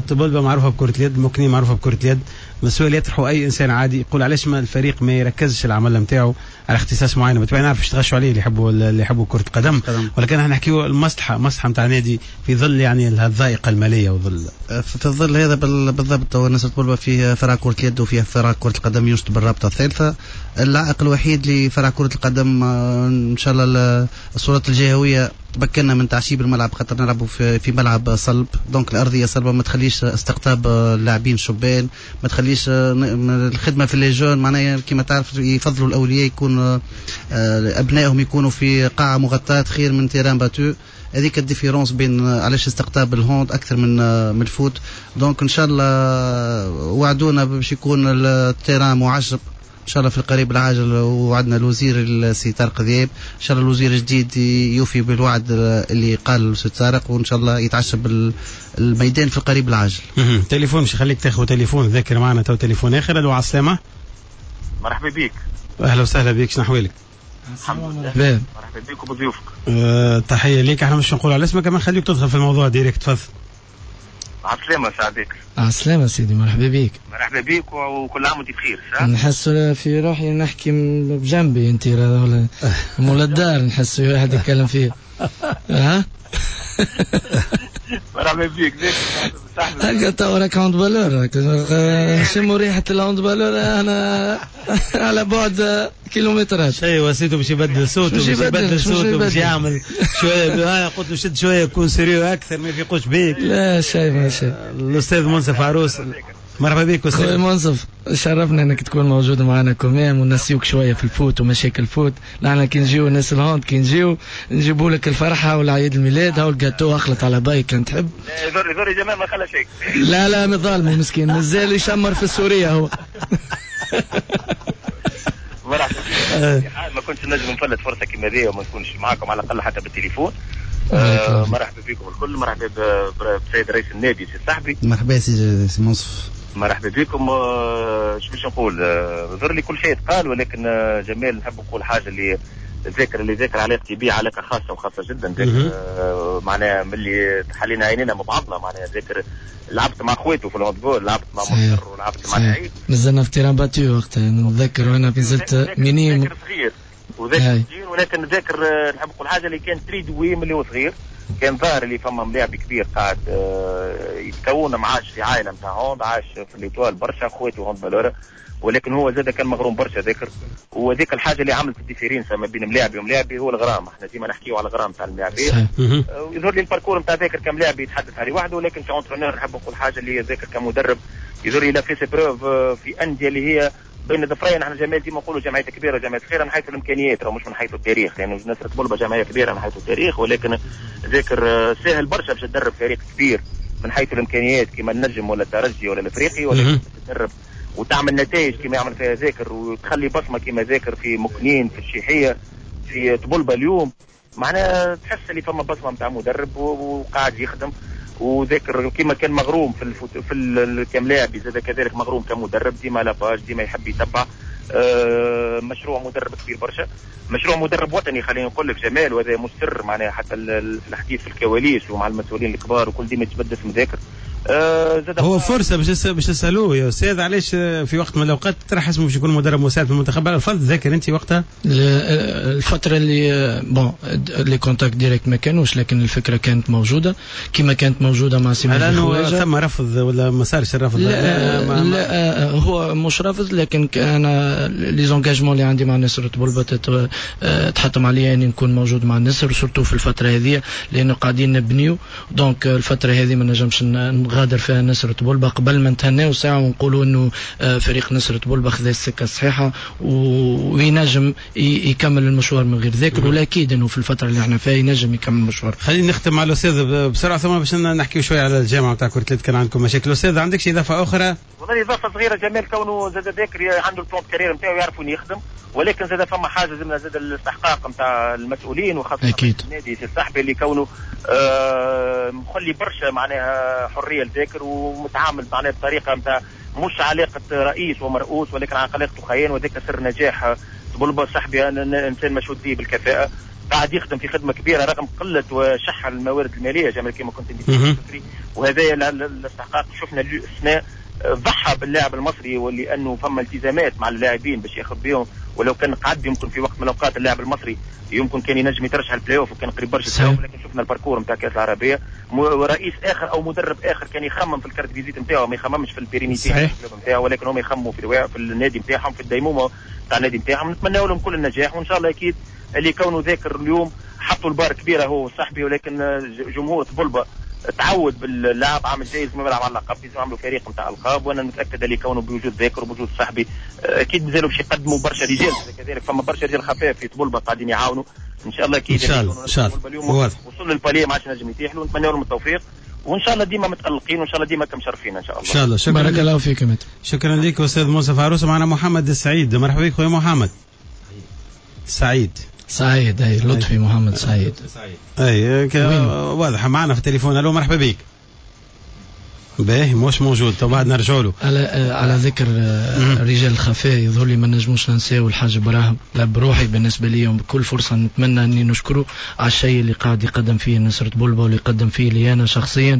طبلبة معروفة بكره اليد، مكنين معروفة بكره اليد. السؤال يطرحه اي انسان عادي يقول علاش ما الفريق ما يركزش العمل نتاعو على اختصاص معين؟ بالطبيعة نعرف باش تغشوا عليه اللي يحبوا اللي يحبوا كره القدم، ولكن احنا نحكيو المصلحة مصلحة نتاع نادي في ظل يعني الضائقه المالية وظل في الظل هذا بالضبط. نسرة طبلبة فيه فرع كره اليد وفيه فرع كره القدم ينشط بالرابطه الثالثة. العائق الوحيد لفرع كرة القدم ان شاء الله السلطات الجهوية تمكنا من تعشيب الملعب، خاطر نلعبوا في, في ملعب صلب، donc الارضية صلبه ما تخليش استقطاب اللاعبين الشبان، ما تخليش الخدمة في les jeunes، معناها كما تعرف يفضلوا الاولياء يكون ابنائهم يكونوا في قاعة مغطاة خير من terrain battu. هذيك ال différence بين علاش استقطاب ال hand اكثر من من ال foot. donc ان شاء الله وعدونا باش يكون ال terrain معشب ان شاء الله في القريب العاجل، وعدنا الوزير السي طارق ذياب، ان شاء الله الوزير الجديد يوفي بالوعد اللي قال الاستاذ طارق، وان شاء الله يتعشب الميدان في القريب العاجل. تليفون مش خليك تاخذ تليفون، ذاكر معنا تو تليفون اخر. الو على السلامة. مرحبا بك. اهلا وسهلا بك، شنو احوالك؟ الحمد لله. مرحبا بك وبضيوفك. أه تحية ليك، احنا مش نقول على اسمك، كمان خليك تدخل في الموضوع direct، تفضل. على السلامة سعدك. على السلامة سيدي، مرحبا بك. مرحبا بك وكل عام وانت بخير. نحس في روحي نحكي بجنبي انت ولا مولا الدار، نحس واحد يتكلم فيه. ها؟ مرحبا بك. هكا تو راك handballeur، شموا ريحة ال handballeur انا على بعد كيلومترات. شيء وسيته باش يبدل صوته، باش يبدل صوته، باش يعمل شوية. قلت له شد شوية كون sérieux اكثر، ما يفيقوش بيك. لا شيء ما شيء. الاستاذ منصف عروس، مرحبا بك استاذ خويا منصف، شرفنا انك تكون موجود معنا quand même، ونسيوك شوية في ال foot ومشاكل ال foot. نحن كي نجيو الناس ال hand كي نجيو نجيبوا لك الفرحة والعيد الميلاد، هاو الجاتو اخلط على باي كان تحب. لا يضر جمال ما خلى شيء. لا لا مظالمه مسكين، مازال يشمر في السورية هو. مرحبا بك. ما كنتش نجم نفلت فرصة كيما هذه وما نكونش معاكم على الاقل حتى بالتليفون. آه مرحبا بكم الكل، مرحبا بسيد رئيس النادي سي صاحبي. مرحبا سي سي منصف. مرحبا بكم. آه شو باش نقول، ظهر لي كل شيء تقال، ولكن آه جمال نحب نقول حاجة اللي ذاكر اللي ذاكر علاقتي به علاقة خاصة وخاصة جدا. ذاكر آه معناها ملي حلينا عينينا مع بعضنا، معناها ذاكر لعبت مع اخواته في ال handball، لعبت مع مصر ولعبت مع سعيد، نزلنا في terrain battu وقتها نتذكر، وانا نزلت minime ذاكر صغير وذاكر صغير، ولكن ذاكر نحب نقول حاجة اللي كان très doué من اللي هو صغير، كان ظاهر اللي فما ملاعب كبير قاعد يتكون، معاش في عائلة نتاع hand، عاش في l'Étoile برشا اخواته handballeurs، ولكن هو زاد كان مغروم برشا ذاكر. وذيك الحاجة اللي عملت ال différence ما بين ملاعبي وملاعبي هو الغرام، احنا ديما نحكيو على الغرام تاع الملاعبين. ويظهر لي ال parcours نتاع ذاكر كملاعب يتحدث عليه وحده، ولكن ك entraîneur نحب نقول حاجة اللي ذاكر كمدرب يظهر لي fait ses preuves في اندية اللي هي بين ظفرين. احنا جمال ديما نقولوا جمعية كبيرة وجمعية صغيرة من حيث الامكانيات، مش من حيث التاريخ، لانه يعني نسرة طبلبة جمعية كبيرة من حيث التاريخ، ولكن ذاكر سهل برشا باش تدرب فريق كبير من حيث الامكانيات كما النجم ولا الترجي ولا الافريقي، ولكن تدرب وتعمل نتائج كما يعمل فيها ذاكر، وتخلي بصمة كما ذاكر في مكنين، في الشيحيه، في طبلبة اليوم، معناها تحس اللي فما بصمة نتاع مدرب وقاعد يخدم. وذاكر كما كان مغروم في الفوت في كملاعب زاد كذلك مغروم كمدرب، ديما la page، ديما يحب يتبع. أه مشروع مدرب كبير برشا، مشروع مدرب وطني خلينا نقول لك جمال، وهذا مستر معناها حتى الحديث في الكواليس ومع المسؤولين الكبار وكل ديما يتبدل اسم ذاكر. أه هو فرصة باش باش تسالوه يا استاذ، علاش في وقت من الاوقات طرح اسمه باش يكون مدرب مساعد في المنتخب؟ رفض ذاكر انت وقتها الفترة اللي bon les contacts directs ما كانوش، لكن الفكرة كانت موجودة كما كانت موجودة مع سي مجدي خواجه. ثم رفض ولا ما صارش الرفض؟ لا, ما لا هو مش رفض، لكن انا les engagements اللي عندي مع نسر طبلبة تحتم عليا اني نكون موجود مع النسر، surtout في الفترة هذه لانه قاعدين نبنيو، donc الفترة هذه ما نجمش نغادر فيها نسر طبلبة قبل ما نتهناو ساعة ونقولوا انه فريق نسر طبلبة خذا السكة الصحيحة وينجم يكمل المشوار من غير ذاكر، ولا اكيد انه في الفترة اللي احنا فيها ينجم يكمل المشوار. خلينا نختم مع الاستاذ بسرعة ثم باش نحكيو شوية على الجامعة نتاع كرة اليد، كان عندكم مشاكل. الاستاذ عندك شي اضافة اخرى؟ والله اضافة صغيرة جمال، كونه زاد ذاكر عنده ال plan carrière نتاعو يعرف وين يخدم، ولكن زاد فما حاجة زاد زاد الاستحقاق نتاع المسؤولين وخاصة النادي سي الصحبي اللي كونه آه مخلي برشا معناها حرية لذاكر ومتعامل معناها بطريقة نتاع مش علاقة رئيس ومرؤوس، ولكن علاقته خيان، وذاك سر نجاح طبلبة. صاحبي انا انسان مشهود به بالكفاءه، قاعد يخدم في خدمة كبيرة رغم قلة وشح الموارد المالية جمال كما كنت انت وهذا الاستحقاق شفنا السنة ضحى باللاعب المصري، ولانه فما التزامات مع اللاعبين باش ياخذ بهم، ولو كان قعد يمكن في وقت من الاوقات اللاعب المصري يمكن كان ينجم يترشح البلاي اوف وكان قريب برشا، ولكن شفنا ال parcours نتاع كاس العربية. رئيس اخر او مدرب اخر كان يخمم في ال carte visite نتاعو، ما يخممش في ال pérennité نتاعو، ولكن هم يخمموا في في النادي نتاعهم، في الديمومه نتاع النادي نتاعهم. نتمنى لهم كل النجاح، وان شاء الله اكيد اللي كونه ذاكر اليوم حطوا البار كبيرة هو صاحبي، ولكن جمهور طبلبه تعود باللاعب عام الجاي لازم يلعب على اللقب، لازم يعملوا فريق نتاع القاب، وانا متاكد اللي كونه بوجود ذاكر وبوجود صاحبي اكيد مازالوا باش يقدموا برشا رجال، كذلك فما برشا رجال خفاف في طبلبه قاعدين يعاونوا ان شاء الله. اكيد ان شاء الله ان شاء الله اليوم وصل لل palier ما عادش نجم يتيح له، نتمنى لهم التوفيق وان شاء الله ديما متالقين، وان شاء الله ديما كمشرفين ان شاء الله. ان شاء الله. شكرا، بارك الله فيك. شكرا لك استاذ منصف عروس. معنا محمد السعيد، مرحبا بك خويا محمد سعيد. سعيد اي لطفي محمد سعيد. اي واضح معنا في التليفون. الو مرحبا بك. باهي مش موجود، تو بعد نرجعوا له. على على ذكر الرجال الخفاء يظهر لي ما نجموش ننساو الحاج ابراهيم، لا بروحي بالنسبة لي بكل فرصة نتمنى اني نشكره على الشيء اللي قاعد يقدم فيه نسرة بولبا واللي قدم فيه لي انا شخصيا.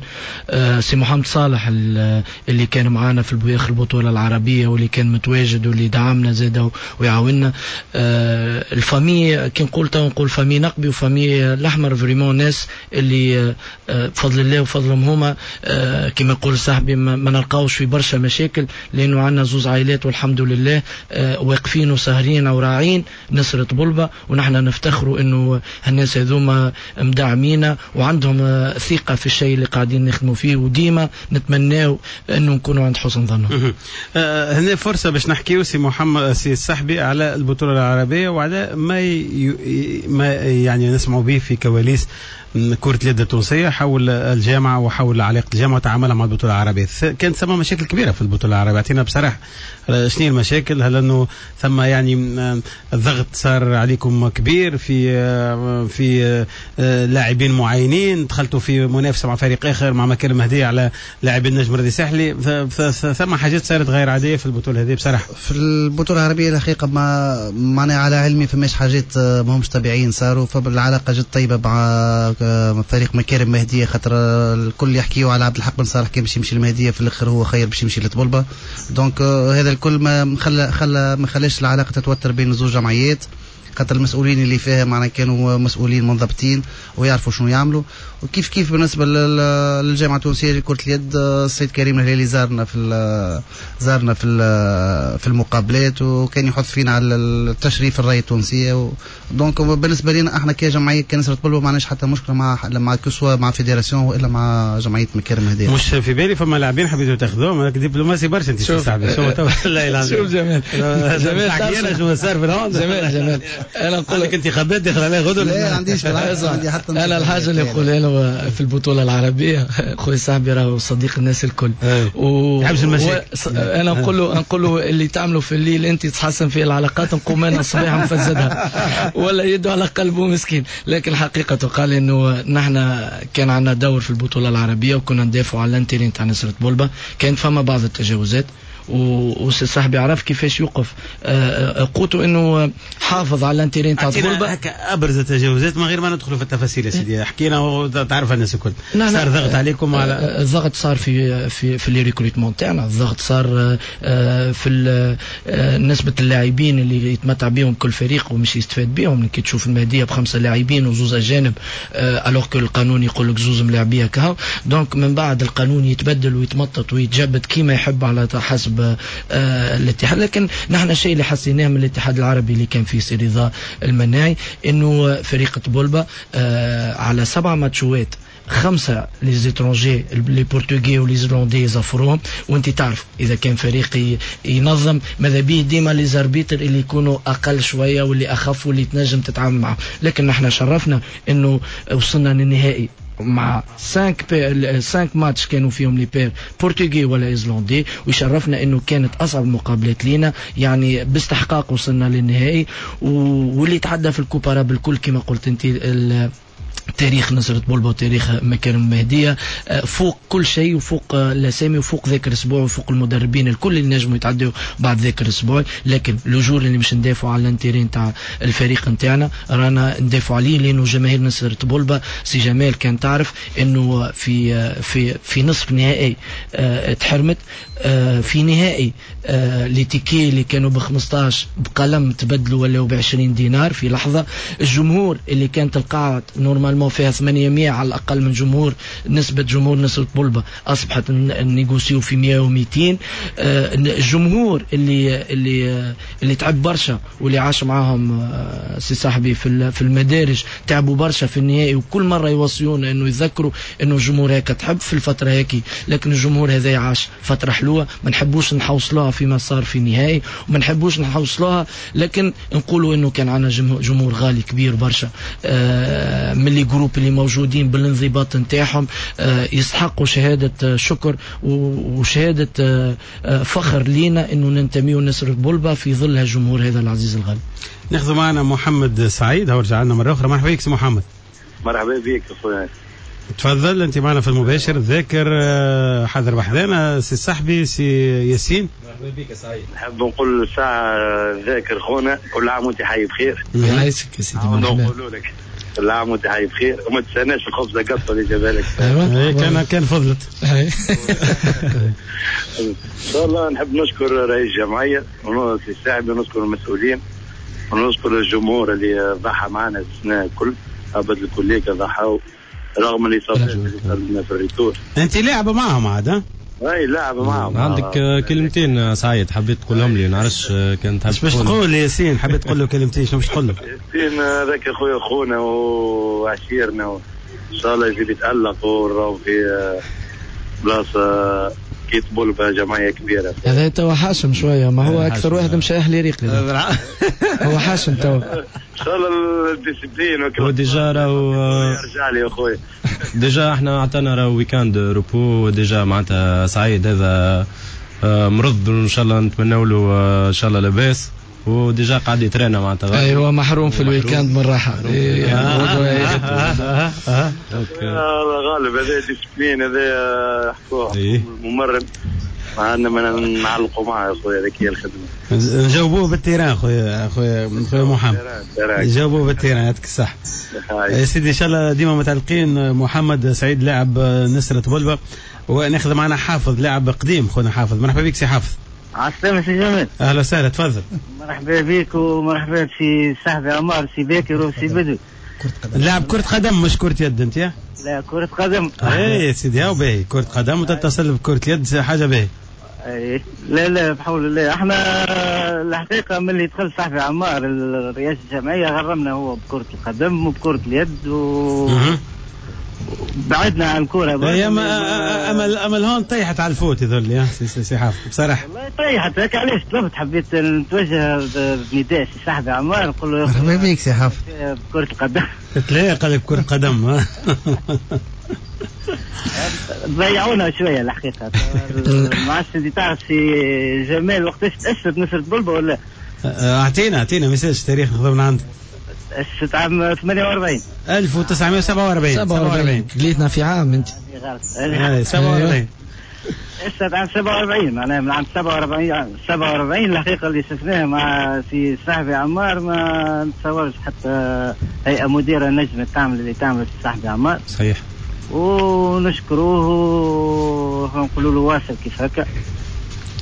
آه سي محمد صالح اللي كان معنا في البويخ البطولة العربية واللي كان متواجد واللي دعمنا زاده ويعاوننا. آه ال famille كي نقول تو نقول famille نقبي و famille الاحمر، vraiment ناس اللي آه بفضل الله وفضلهم هما آه كما يقول صاحبي ما, ما نلقاوش في برشا مشاكل، لانه عندنا زوز عائلات والحمد لله آه واقفين وساهرين وراعين نسرة بولبا، ونحن نفتخروا انه الناس هذوما مدعمينا وعندهم آه ثقة في الشيء اللي قاعدين نخدموا فيه، وديما نتمناو انه نكونوا عند حسن ظنهم. آه هنا فرصة باش نحكيو سي محمد سي الصحبي على البطولة العربية وعلى ما ي... ما يعني نسمعوا به في كواليس كرة اليد التونسية حول الجامعة وحول علاقة الجامعة وتعاملها مع البطولة العربية. كانت ثم مشاكل كبيرة في البطولة العربية، اعطينا بصراحة شنو هي المشاكل؟ هل أنه ثم يعني الضغط صار عليكم كبير في في لاعبين معينين، دخلتوا في منافسة مع فريق آخر مع مكان مهدية على لاعبين النجم الرياضي الساحلي، ثم حاجات صارت غير عادية في البطولة هذه بصراحة؟ في البطولة العربية الحقيقة ما معناها على علمي فماش حاجات ما همش طبيعيين صاروا، فالعلاقة جد طيبة مع فريق مكارم مهدية، خاطر الكل يحكيوا على عبد الحق بن صالح كان باش يمشي للمهدية، في الاخر هو خير باش يمشي لطبلبة. donc هذا الكل ما خلى خلى ما خلاش العلاقة تتوتر بين زوج جمعيات، خاطر المسؤولين اللي فيها معنا كانوا مسؤولين منضبطين ويعرفوا شنو يعملوا. وكيف كيف بالنسبة للجامعة التونسية لكرة اليد، السيد كريم الهلالي زارنا في زارنا في في المقابلات وكان يحث فينا على التشريف الراية التونسية. donc بالنسبة لنا احنا كجمعية كنسرة بولبا ما عندناش حتى مشكلة مع مع que ce soit مع fédération والا مع جمعية مكارم هديه. مش في بالي فما لاعبين حبيتوا تاخذوهم، راك دبلوماسي برشا انت صاحبي. شو تو شوف جمال جمال شنو صار في الهوند. جمال جمال انا نقول لك انتخابات داخل عليها غدوه. لا عنديش بالعكس، عندي حتى انا الحاجة اللي نقولها له في البطولة العربية خويا صاحبي راهو صديق الناس الكل و... يحبش المشاكل. و... انا نقول له نقول له اللي تعمله في الليل انت تحسن فيه العلاقات، نقوم انا الصباح نفسدها ولا يده على قلبه مسكين. لكن الحقيقة تقال انه نحن كان عندنا دور في البطولة العربية وكنا ندافعوا على ال intérêt تاع نسرة بولبا. كان فما بعض التجاوزات وسي صاحبي عرف كيفاش يوقف قوته انه حافظ على ال intérêt تاع طبلبة. هكا ابرز التجاوزات من غير ما ندخلوا في التفاصيل يا سيدي، حكينا وتعرف الناس الكل. صار ضغط عليكم على الضغط صار في في في les recrutements تاعنا، الضغط صار في نسبه اللاعبين اللي يتمتع بهم كل فريق ومش يستفاد بهم. كي تشوف المهدية بخمسة لاعبين وزوز اجانب alors que القانون يقول لك زوز ملاعبيه كهو. donc من بعد القانون يتبدل ويتمطط ويتجبد كيما يحب على حسب الاتحاد. لكن نحن الشيء اللي حسيناه من الاتحاد العربي اللي كان فيه سي رضا المناعي انه فريق طبلبة على سبع ماتشوات خمسة les étrangers les Portugais و les Irlandais يزفروهم. وانت تعرف اذا كان فريق ينظم ماذا به ديما les arbitres اللي يكونوا اقل شوية واللي اخف واللي تنجم تتعامل معه. لكن نحن شرفنا انه وصلنا للنهائي مع خمسة ماتش كانوا فيهم les pairs portugais ولا islandais، ويشرفنا انه كانت اصعب المقابلات لينا، يعني باستحقاق وصلنا للنهائي. واللي تعدى في ال coupe arabe الكل كما قلت انت تاريخ نصرة بولبا وتاريخ مكارم المهدية فوق كل شيء، وفوق الاسامي وفوق ذاكر الاسبوع وفوق المدربين الكل اللي نجموا يتعدوا بعد ذاكر الاسبوع. لكن le jour اللي مش ندافعوا على l'intérêt نتاع الفريق نتاعنا رانا ندافعوا عليه، لانه جماهير نصرة بولبا سي جمال كان تعرف انه في في في نصف نهائي تحرمت، في نهائي les tickets اللي كانوا ب خمسطاش بقلم تبدلوا ولاو ب عشرين دينار في لحظة. الجمهور اللي كانت القاعة normalement فيها ثمانمية على الاقل من جمهور، نسبه جمهور نصرة بولبا اصبحت négocier في مية ومئتين. الجمهور اللي اللي اللي تعب برشا واللي عاش معاهم سي صاحبي في في المدارج تعبوا برشا في النهائي، وكل مرة يوصيونا انه يذكروا انه الجمهور هيك تحب في الفترة هيك، لكن الجمهور هذا عاش فترة حلوة ما نحبوش نحوصلوها فيما صار في النهائي وما نحبوش نحوصلوها، لكن نقولوا انه كان عندنا جمهور غالي كبير برشا من les groupes اللي موجودين بالانضباط نتاعهم، يستحقوا شهادة شكر وشهادة فخر لينا انه ننتميوا لنصرة بولبا في ظل هالجمهور هذا العزيز الغالي. ناخذ معنا محمد سعيد، هو رجع لنا مرة اخرى. مرحبا بك سي محمد. مرحبا بك اخويا. تفضل انت معنا في المباشر. ذاكر حاضر بحذانا سي صاحبي سي ياسين. مرحبا بك يا سعيد. نحب نقول ساعة ذاكر خونا كل عام وانت حي بخير. يعيشك يا سيدي. مرحبا. نقولوا لك كل عام وانت حي بخير وما تنساناش الخبزة قطة اللي جابها لك. ايوه كان كان فضلت. ان شاء الله نحب نشكر رئيس الجمعية ونسي الساعد ونشكر المسؤولين ونشكر الجمهور اللي ضحى معنا السنة الكل، ابد الكلية ضحوا رغم الاصابات اللي صارت لنا في ال retour. انت لاعبه معهم عاد ها؟ اي لاعبه معهم. عندك كلمتين سعيد حبيت تقولهم لي، نعرفش كان تحب باش تقول ياسين، حبيت تقول له كلمتين، شنو باش تقول له؟ ياسين هذاك خويا خونا وعشيرنا، ان شاء الله يزيد يتالق وراهو في بلاصة كي طبولبا جمعية كبيرة. هذا توا حاشم شوية، ما هو اكثر واحد مشى اهلي ريقي هو حاشم توا. ان شاء الله ال discipline و déjà راهو يرجع لي يا خويا. déjà احنا عطانا راهو week-end repos، déjà معناتها سعيد هذا مرض وان شاء الله نتمنوا له ان شاء الله لاباس، و déjà قاعد يترينا معناتها. ايوه محروم في ال week-end من الراحة. الله غالب، هذا discipline، هذا حكوه ممرن عندنا ما نعلقوا معاه يا خويا، هذيك هي الخدمة. نجاوبوه بال terrain خويا خويا خويا محمد، نجاوبوه بال terrain، يعطيك الصحة يا سيدي. ان شاء الله ديما متعلقين. محمد سعيد لاعب نصرة بولبا، وناخذ معنا حافظ لاعب قديم. خونا حافظ، مرحبا بك سي حافظ. عسلامة سي جمال. اهلا وسهلا، تفضل. مرحبا بك ومرحبا بسي صاحبي عمار، سي باكر وسي بدو. لاعب كرة قدم مش كرة يد انت يا؟ لا كرة قدم. اي سيدي هاو باهي، كرة قدم وتتصل بكرة يد حاجة باهي. اي لا لا بحول الله، احنا الحقيقة من اللي دخل صاحبي عمار الرئاسة الجمعية غرمنا هو بكرة القدم وبكرة اليد و بعدنا عن الكرة. يا اما اما اما الهون طيحت على ال foot يظل يا سي سي حافظ بصراحة. والله طيحت هيك، علاش طلبت حبيت نتوجه بنداء سي صاحبي عمار نقول له مرحبا بك سي حافظ بكرة القدم. تلاقي قال لك بكرة قدم. ضيعونا شوية الحقيقة. ما عادش انت تعرف سي جمال وقتاش تأسست نصرة بولبا ولا؟ اعطينا اعطينا message تاريخ ناخذه من عندك. تأسست عام ثمانية وأربعين ألف وتسعمائة وسبعة وأربعين. سبعة وأربعين ليتنا في عام انت. سبعة وأربعين تأسست عام سبعة وأربعين، معناها من عام سبعة وأربعين سبعة وأربعين الحقيقة اللي شفناها مع سي صاحبي عمار ما نتصورش حتى هيئة مديرة نجمة تعمل اللي تعمل سي صاحبي عمار. صحيح. ونشكروه ونقولوا له واصل كيف هكا،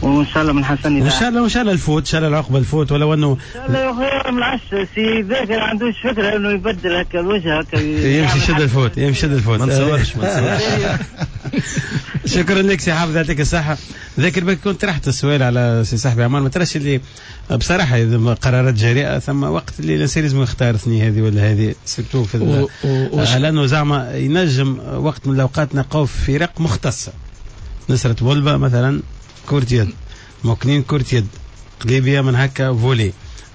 وان شاء الله من حسن. وان شاء الله وان شاء الله ال foot، ان شاء الله العقبة ال foot، ولو انه ان شاء الله يا خويا ما نعرفش سي ذاكر عندوش فكرة انه يبدل هكا الوجه هكا يمشي يشد ال foot، يمشي يشد ال foot. ما نتصورش ما نتصورش. شكرا لك سي حافظ، يعطيك الصحة. ذاكر بك كنت طرحت السؤال على سي صاحبي عمار، ما تراش اللي بصراحة اذا قرارات جريئة ثم وقت اللي الانسان لازم يختار ثني هذه ولا هذه، surtout في و... و... لانه زعما ينجم وقت من الاوقات نلقاو فرق مختصة. نصرة بولبا مثلا كرة يد، مكنين كرة يد، قليبية من هكا volley،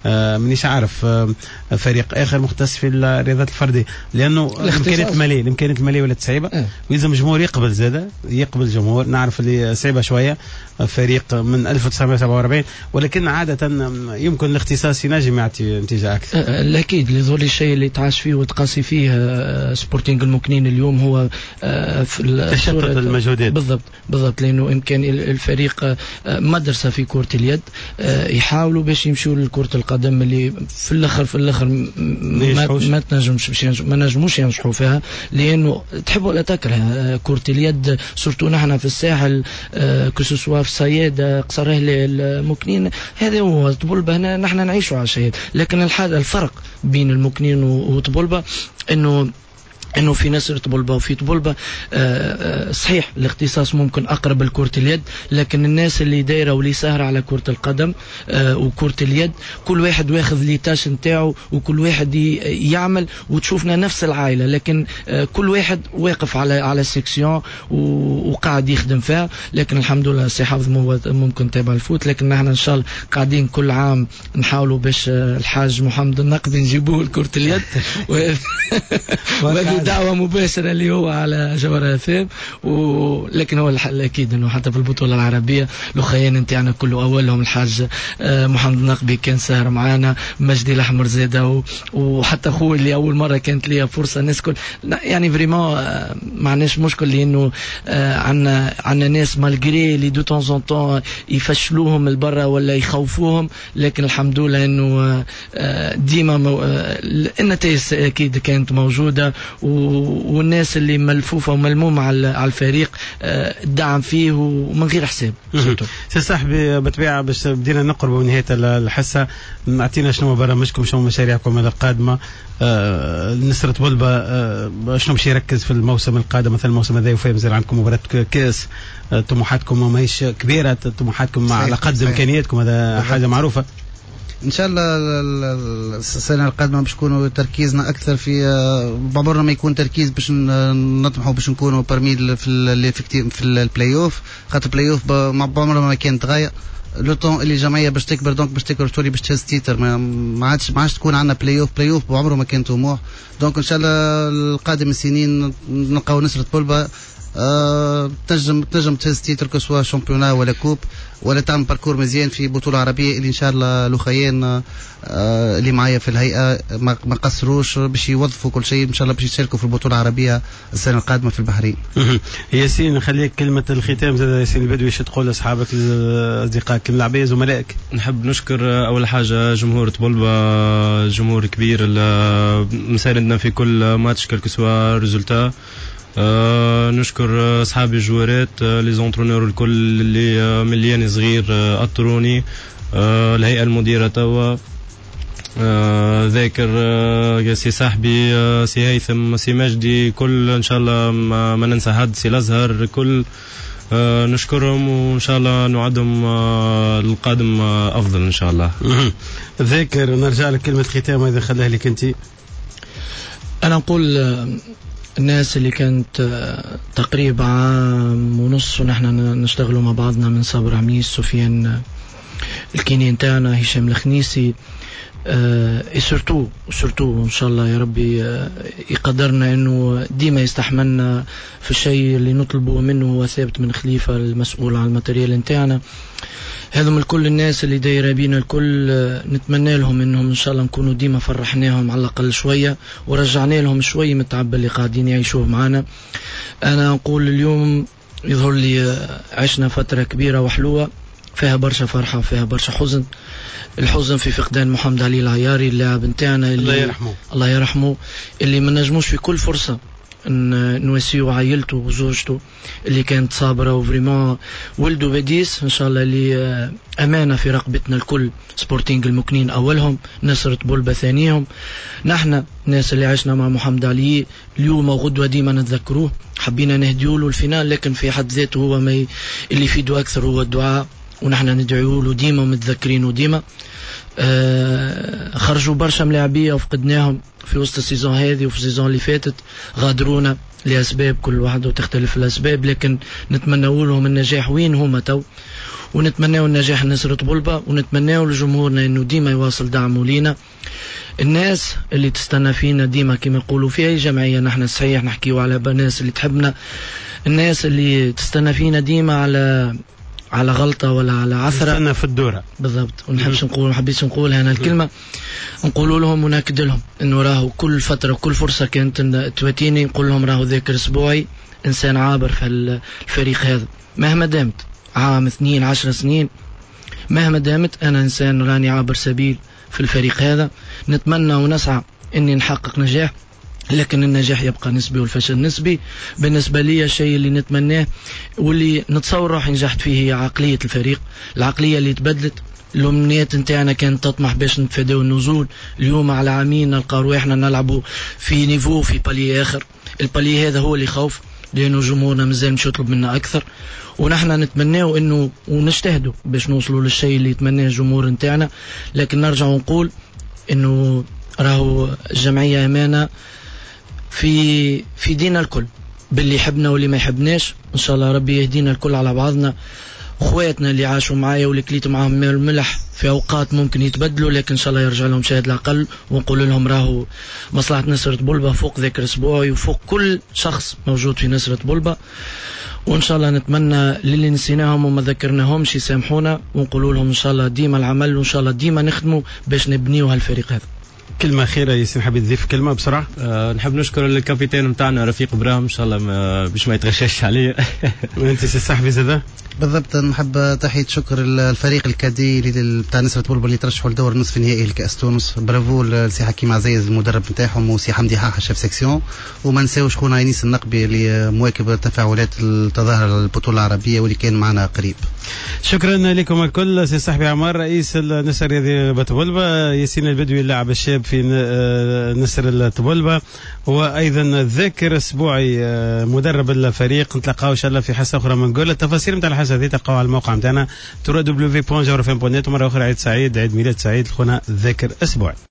آه مانيش عارف آه فريق اخر مختص في الرياضات الفردية، لانه الامكانيات المالية الامكانيات المالية ولات صعيبة اه. ويلزم الجمهور يقبل زاده، يقبل الجمهور، نعرف اللي صعيبة شوية، فريق من ألف وتسعمائة وسبعة وأربعين، ولكن عادة يمكن الاختصاص ينجم يعطي نتيجة اكثر. اكيد اللي ظل الشيء اللي تعاش فيه وتقاسي فيه سبورتينغ المكنين اليوم هو في تشتت المجهودات. بالضبط بالضبط، لانه امكان الفريق مدرسه في كره اليد، يحاولوا باش يمشوا لكرة القدم اللي في الاخر في الاخر ما, ما تنجمش ما نجموش ينجحوا فيها، لانه تحب ولا تكره كره اليد surtout نحن في الساحل، que ce soit في صيادة قصر هلال المكنين، هذا هو طبلبة، هنا نحن نعيشوا على الشيء. لكن الحاجة الفرق بين المكنين وطبلبة انه انه في نسر طبلبة وفي طبلبة صحيح الاختصاص ممكن اقرب لكرة اليد، لكن الناس اللي دايرة واللي ساهره على كره القدم وكره اليد كل واحد واخذ les tâches نتاعو وكل واحد يعمل، وتشوفنا نفس العائلة، لكن كل واحد واقف على على section وقاعد يخدم فيها. لكن الحمد لله سي حافظ ممكن تابع ال foot، لكن نحن ان شاء الله قاعدين كل عام نحاولوا باش الحاج محمد النقدي نجيبوه لكرة اليد دعوة مباشرة اللي هو على جوهرة اف ام، ولكن هو الأكيد أنه حتى في البطولة العربية الأخيان نتاعنا كله أولهم الحاج محمد النقبي كان ساهر معانا، مجدي الأحمر زادة، وحتى خوي اللي أول مرة كانت لي فرصة الناس كل يعني vraiment ما عندناش مشكل، لأنه عندنا عندنا ناس malgré اللي de temps en temps يفشلوهم البرة ولا يخوفوهم، لكن الحمد لله أنه ديما النتائج أكيد كانت موجودة، والناس اللي ملفوفه وملمومه على الفريق الدعم فيه ومن غير حساب. سي صاحبي بالطبيعة باش بدينا نقربوا من نهاية الحصة، اعطينا شنو برامجكم، شنو مشاريعكم القادمة، آه نسرة طبلبة آه شنو باش يركز في الموسم القادم، مثلا الموسم هذا وفيه مازال عندكم مباراة كاس، آه طموحاتكم ماهيش كبيرة، طموحاتكم على قد امكانياتكم، هذا حاجة معروفة. ان شاء الله السنة القادمة باش نكونوا تركيزنا اكثر في، بعمرنا ما يكون تركيز باش نطمحوا باش نكونوا parmi في في البلاي اوف، خاطر البلاي اوف بعمرنا ما كانت غاية. le temps اللي الجمعية باش تكبر، donc باش تكبر تولي باش تهز titre، ما عادش ما عادش تكون عندنا play-off، play-off بعمره ما كان طموح. donc ان شاء الله القادم السنين نلقاو نسرة طبلبة أه تنجم تنجم تهز titre que ce soit championnat ولا coupe، ولا تعمل parcours مزيان في بطوله عربية اللي ان شاء الله الاخيان أه اللي معايا في الهيئة ما قصروش باش يوظفوا كل شيء ان شاء الله باش يشاركوا في البطولة العربية السنة القادمة في البحرين. ياسين نخليك كلمة الختام زاد، ياسين البدوي شو تقول لاصحابك اصدقائك الملاعبيه زملائك؟ نحب نشكر اول حاجة جمهور طبلبة، جمهور كبير مساندنا في كل match quel que soit résultat. آه نشكر اصحابي الجوارات، آه les entraîneurs الكل اللي آه من اللي انا صغير آه اطروني، آه الهيئة المديرة توا، آه ذاكر آه سي صاحبي، آه سي هيثم، سي مجدي، كل ان شاء الله ما, ما ننسى حد، سي الازهر، كل آه نشكرهم وان شاء الله نوعدهم آه القادم آه افضل ان شاء الله. ذاكر نرجع لك كلمة ختام اذا خليها لك انت. انا نقول الناس اللي كانت تقريبا عام ونص ونحن نشتغلوا مع بعضنا، من صابر عميس، سفيان ال kiné نتاعنا، هشام الخنيسي، et surtout surtout ان شاء الله يا ربي يقدرنا انه ديما يستحملنا في الشيء اللي نطلبه منه، هو ثابت من خليفة المسؤول على ال matériel نتاعنا. هذم الكل الناس اللي دايرة بينا الكل، نتمنى لهم انهم ان شاء الله نكونوا ديما فرحناهم على الاقل شوية ورجعنا لهم شوية من التعب اللي قاعدين يعيشوه معنا. انا نقول اليوم يظهر لي عشنا فترة كبيرة وحلوه فيها برشا فرحه وفيها برشا حزن. الحزن في فقدان محمد علي العياري اللاعب نتاعنا الله يرحمه، الله يرحمه، اللي ما نجموش في كل فرصة نواسيو عائلته وزوجته اللي كانت صابره، و vraiment ولده بديس ان شاء الله اللي امانه في رقبتنا الكل، سبورتينغ المكنين اولهم، نسرة طبلبة ثانيهم. نحن الناس اللي عشنا مع محمد علي اليوم وغدوه ديما نتذكروه، حبينا نهديو له ال finale، لكن في حد ذاته هو ما ي... اللي يفيده اكثر هو الدعاء ونحن ندعو له ديما ومتذكرينه ديما. آه خرجوا برشا ملاعبيه وفقدناهم في وسط ال saison هذه وفي ال saison اللي فاتت، غادرونا لاسباب كل واحد وتختلف الاسباب، لكن نتمنوا لهم النجاح وين هما تو، ونتمناو النجاح لنسرة طبلبة، ونتمناو لجمهورنا انه ديما يواصل دعمه لينا. الناس اللي تستنى فينا ديما كما يقولوا في اي جمعية، نحن صحيح نحكيو على الناس اللي تحبنا، الناس اللي تستنى فينا ديما على على غلطه ولا على عثره، تستنى في الدورة بالضبط. ونحبش نقول، ما حبيتش نقول هنا الكلمة، نقولوا لهم وناكد لهم انه راهو كل فترة وكل فرصة كانت تواتيني نقول لهم راهو ذاكر اسبوعي انسان عابر في الفريق هذا، مهما دامت عام اثنين عشر سنين، مهما دامت انا انسان راني عابر سبيل في الفريق هذا. نتمنى ونسعى اني نحقق نجاح، لكن النجاح يبقى نسبي والفشل نسبي. بالنسبة لي الشيء اللي نتمناه واللي نتصور روحي نجحت فيه هي عقلية الفريق، العقلية اللي تبدلت. الأمنيات نتاعنا كانت تطمح باش نتفاداو النزول، اليوم على عامين نلقى رواحنا نلعبوا في niveau في palier آخر. ال palier هذا هو اللي خوف، لأنه جمهورنا مازال مش يطلب منا أكثر، ونحن نتمناو أنه ونجتهدوا باش نوصلوا للشيء اللي يتمناه الجمهور نتاعنا. لكن نرجع ونقول أنه راهو الجمعية أمانة في في دينا الكل، باللي يحبنا واللي ما يحبناش. ان شاء الله ربي يهدينا الكل على بعضنا. اخواتنا اللي عاشوا معايا واللي كليت معاهم الملح في اوقات ممكن يتبدلوا، لكن ان شاء الله يرجع لهم شاهد العقل، ونقول لهم راهو مصلحة نسرة طبلبة فوق ذاكر اسبوعي وفوق كل شخص موجود في نسرة طبلبة. وان شاء الله نتمنى للي نسيناهم وما ذكرناهمش يسامحونا، ونقول لهم ان شاء الله ديما العمل، وان شاء الله ديما نخدموا باش نبنيو هالفريق هذا. كلمة أخيرة ياسين، حبيت تضيف كلمة بسرعة؟ أه نحب نشكر ال capitaine نتاعنا رفيق إبراهيم، إن شاء الله باش ما يتغشاش عليه. وأنت سي صاحبي زادا؟ بالضبط، نحب تحية شكر الفريق ال cadets اللي بتاع نسرة طبلبة اللي ترشحوا لدور نصف النهائي لكأس تونس. برافو لسي حكيم عزيز المدرب نتاعهم، وسي حمدي حاحة chef section، وما نساوش خونا انيس النقبي اللي مواكب تفاعلات التظاهر البطولة العربية واللي كان معنا قريب. شكرا لكم الكل، سي صاحبي عمار رئيس النسر الرياضي بطبلبة، ياسين البدوي اللاعب الشاب في نسر الطبلبة، وايضا ذاكر اسبوعي مدرب الفريق. نتلاقاو ان شاء الله في حصة اخرى من جول. التفاصيل نتاع الحصة هذه تلقاوها على الموقع نتاعنا دبليو دبليو دبليو دوت جوهرة اف ام دوت نت. ومرة اخرى عيد سعيد، عيد ميلاد سعيد لخونا ذاكر اسبوعي.